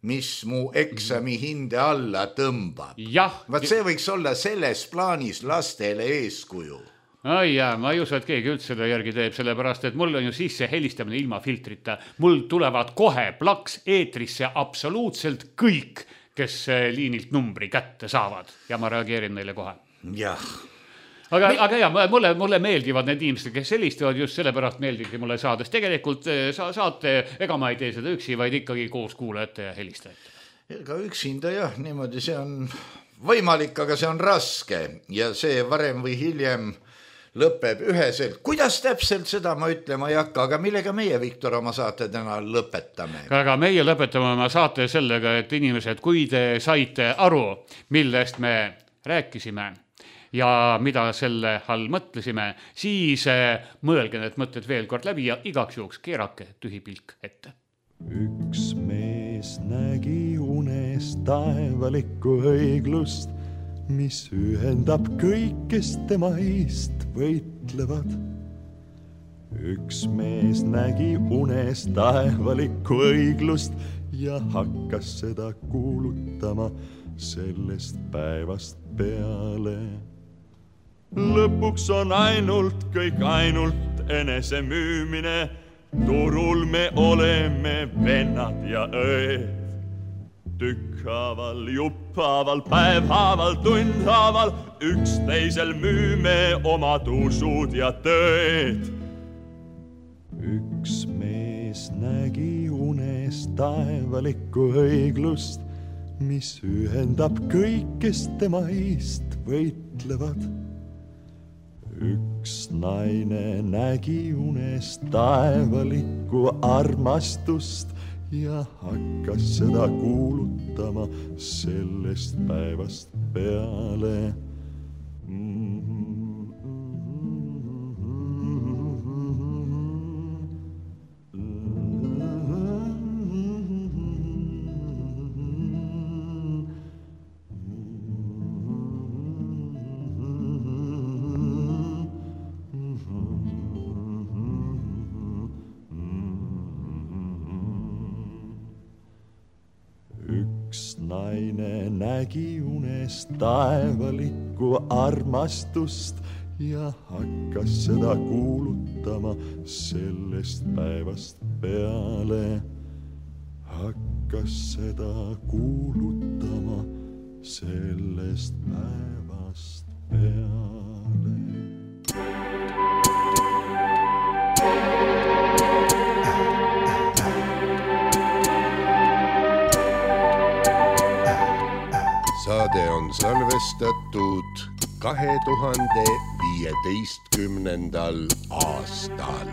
mis mu eksami hinde alla tõmbab. Vaat see võiks olla selles plaanis lastele eeskuju. Ai jaa, ma ei usu, et keegi üldse seda järgi teeb, sellepärast, et mul on ju sisse helistamine ilma filtrita. Mul tulevad kohe plaks eetrisse absoluutselt kõik, kes liinilt numbri kätte saavad ja ma reageerin neile kohe. Jah. Aga jah, mulle meeldivad need inimesed, kes helistavad, just sellepärast meeldibki mulle saades. Tegelikult saate, ega ma ei tee seda üksi, vaid ikkagi koos kuulajate ja helistajate. Ega üksinda jah, niimoodi see on võimalik, aga see on raske ja see varem või hiljem lõpeb üheselt. Kuidas täpselt seda ma ütlema ei hakka, aga millega meie, Viktor, oma saate täna lõpetame? Aga meie lõpetame oma saate sellega, et inimesed, kui te saite aru, millest me rääkisime ja mida selle all mõtlesime, siis mõelge need mõtted veel kord läbi ja igaks juhuks keerake tühi pilk ette. Üks mees nägi unes taevalikku õiglust, mis ühendab kõik, kes tema eest võitlevad. Üks mees nägi unes taevalikku õiglust ja hakkas seda kuulutama sellest päevast peale. Lõpuks on kõik ainult enese müümine, turul me oleme vennad ja õed. Tükkhaaval, jupphaaval, päevhaaval, tundhaaval, üksteisel müüme omad usud ja tõed. Üks mees nägi unes taevalikku õiglust, mis ühendab kõik, kes tema eest võitlevad. Üks naine nägi unes taevalikku armastust ja hakkas seda kuulutama sellest päevast peale. Naine nägi unes taevalikku armastust ja hakkas seda kuulutama sellest päevast peale. Hakkas seda kuulutama sellest päevast peale. Saade on salvestatud 2015. aastal.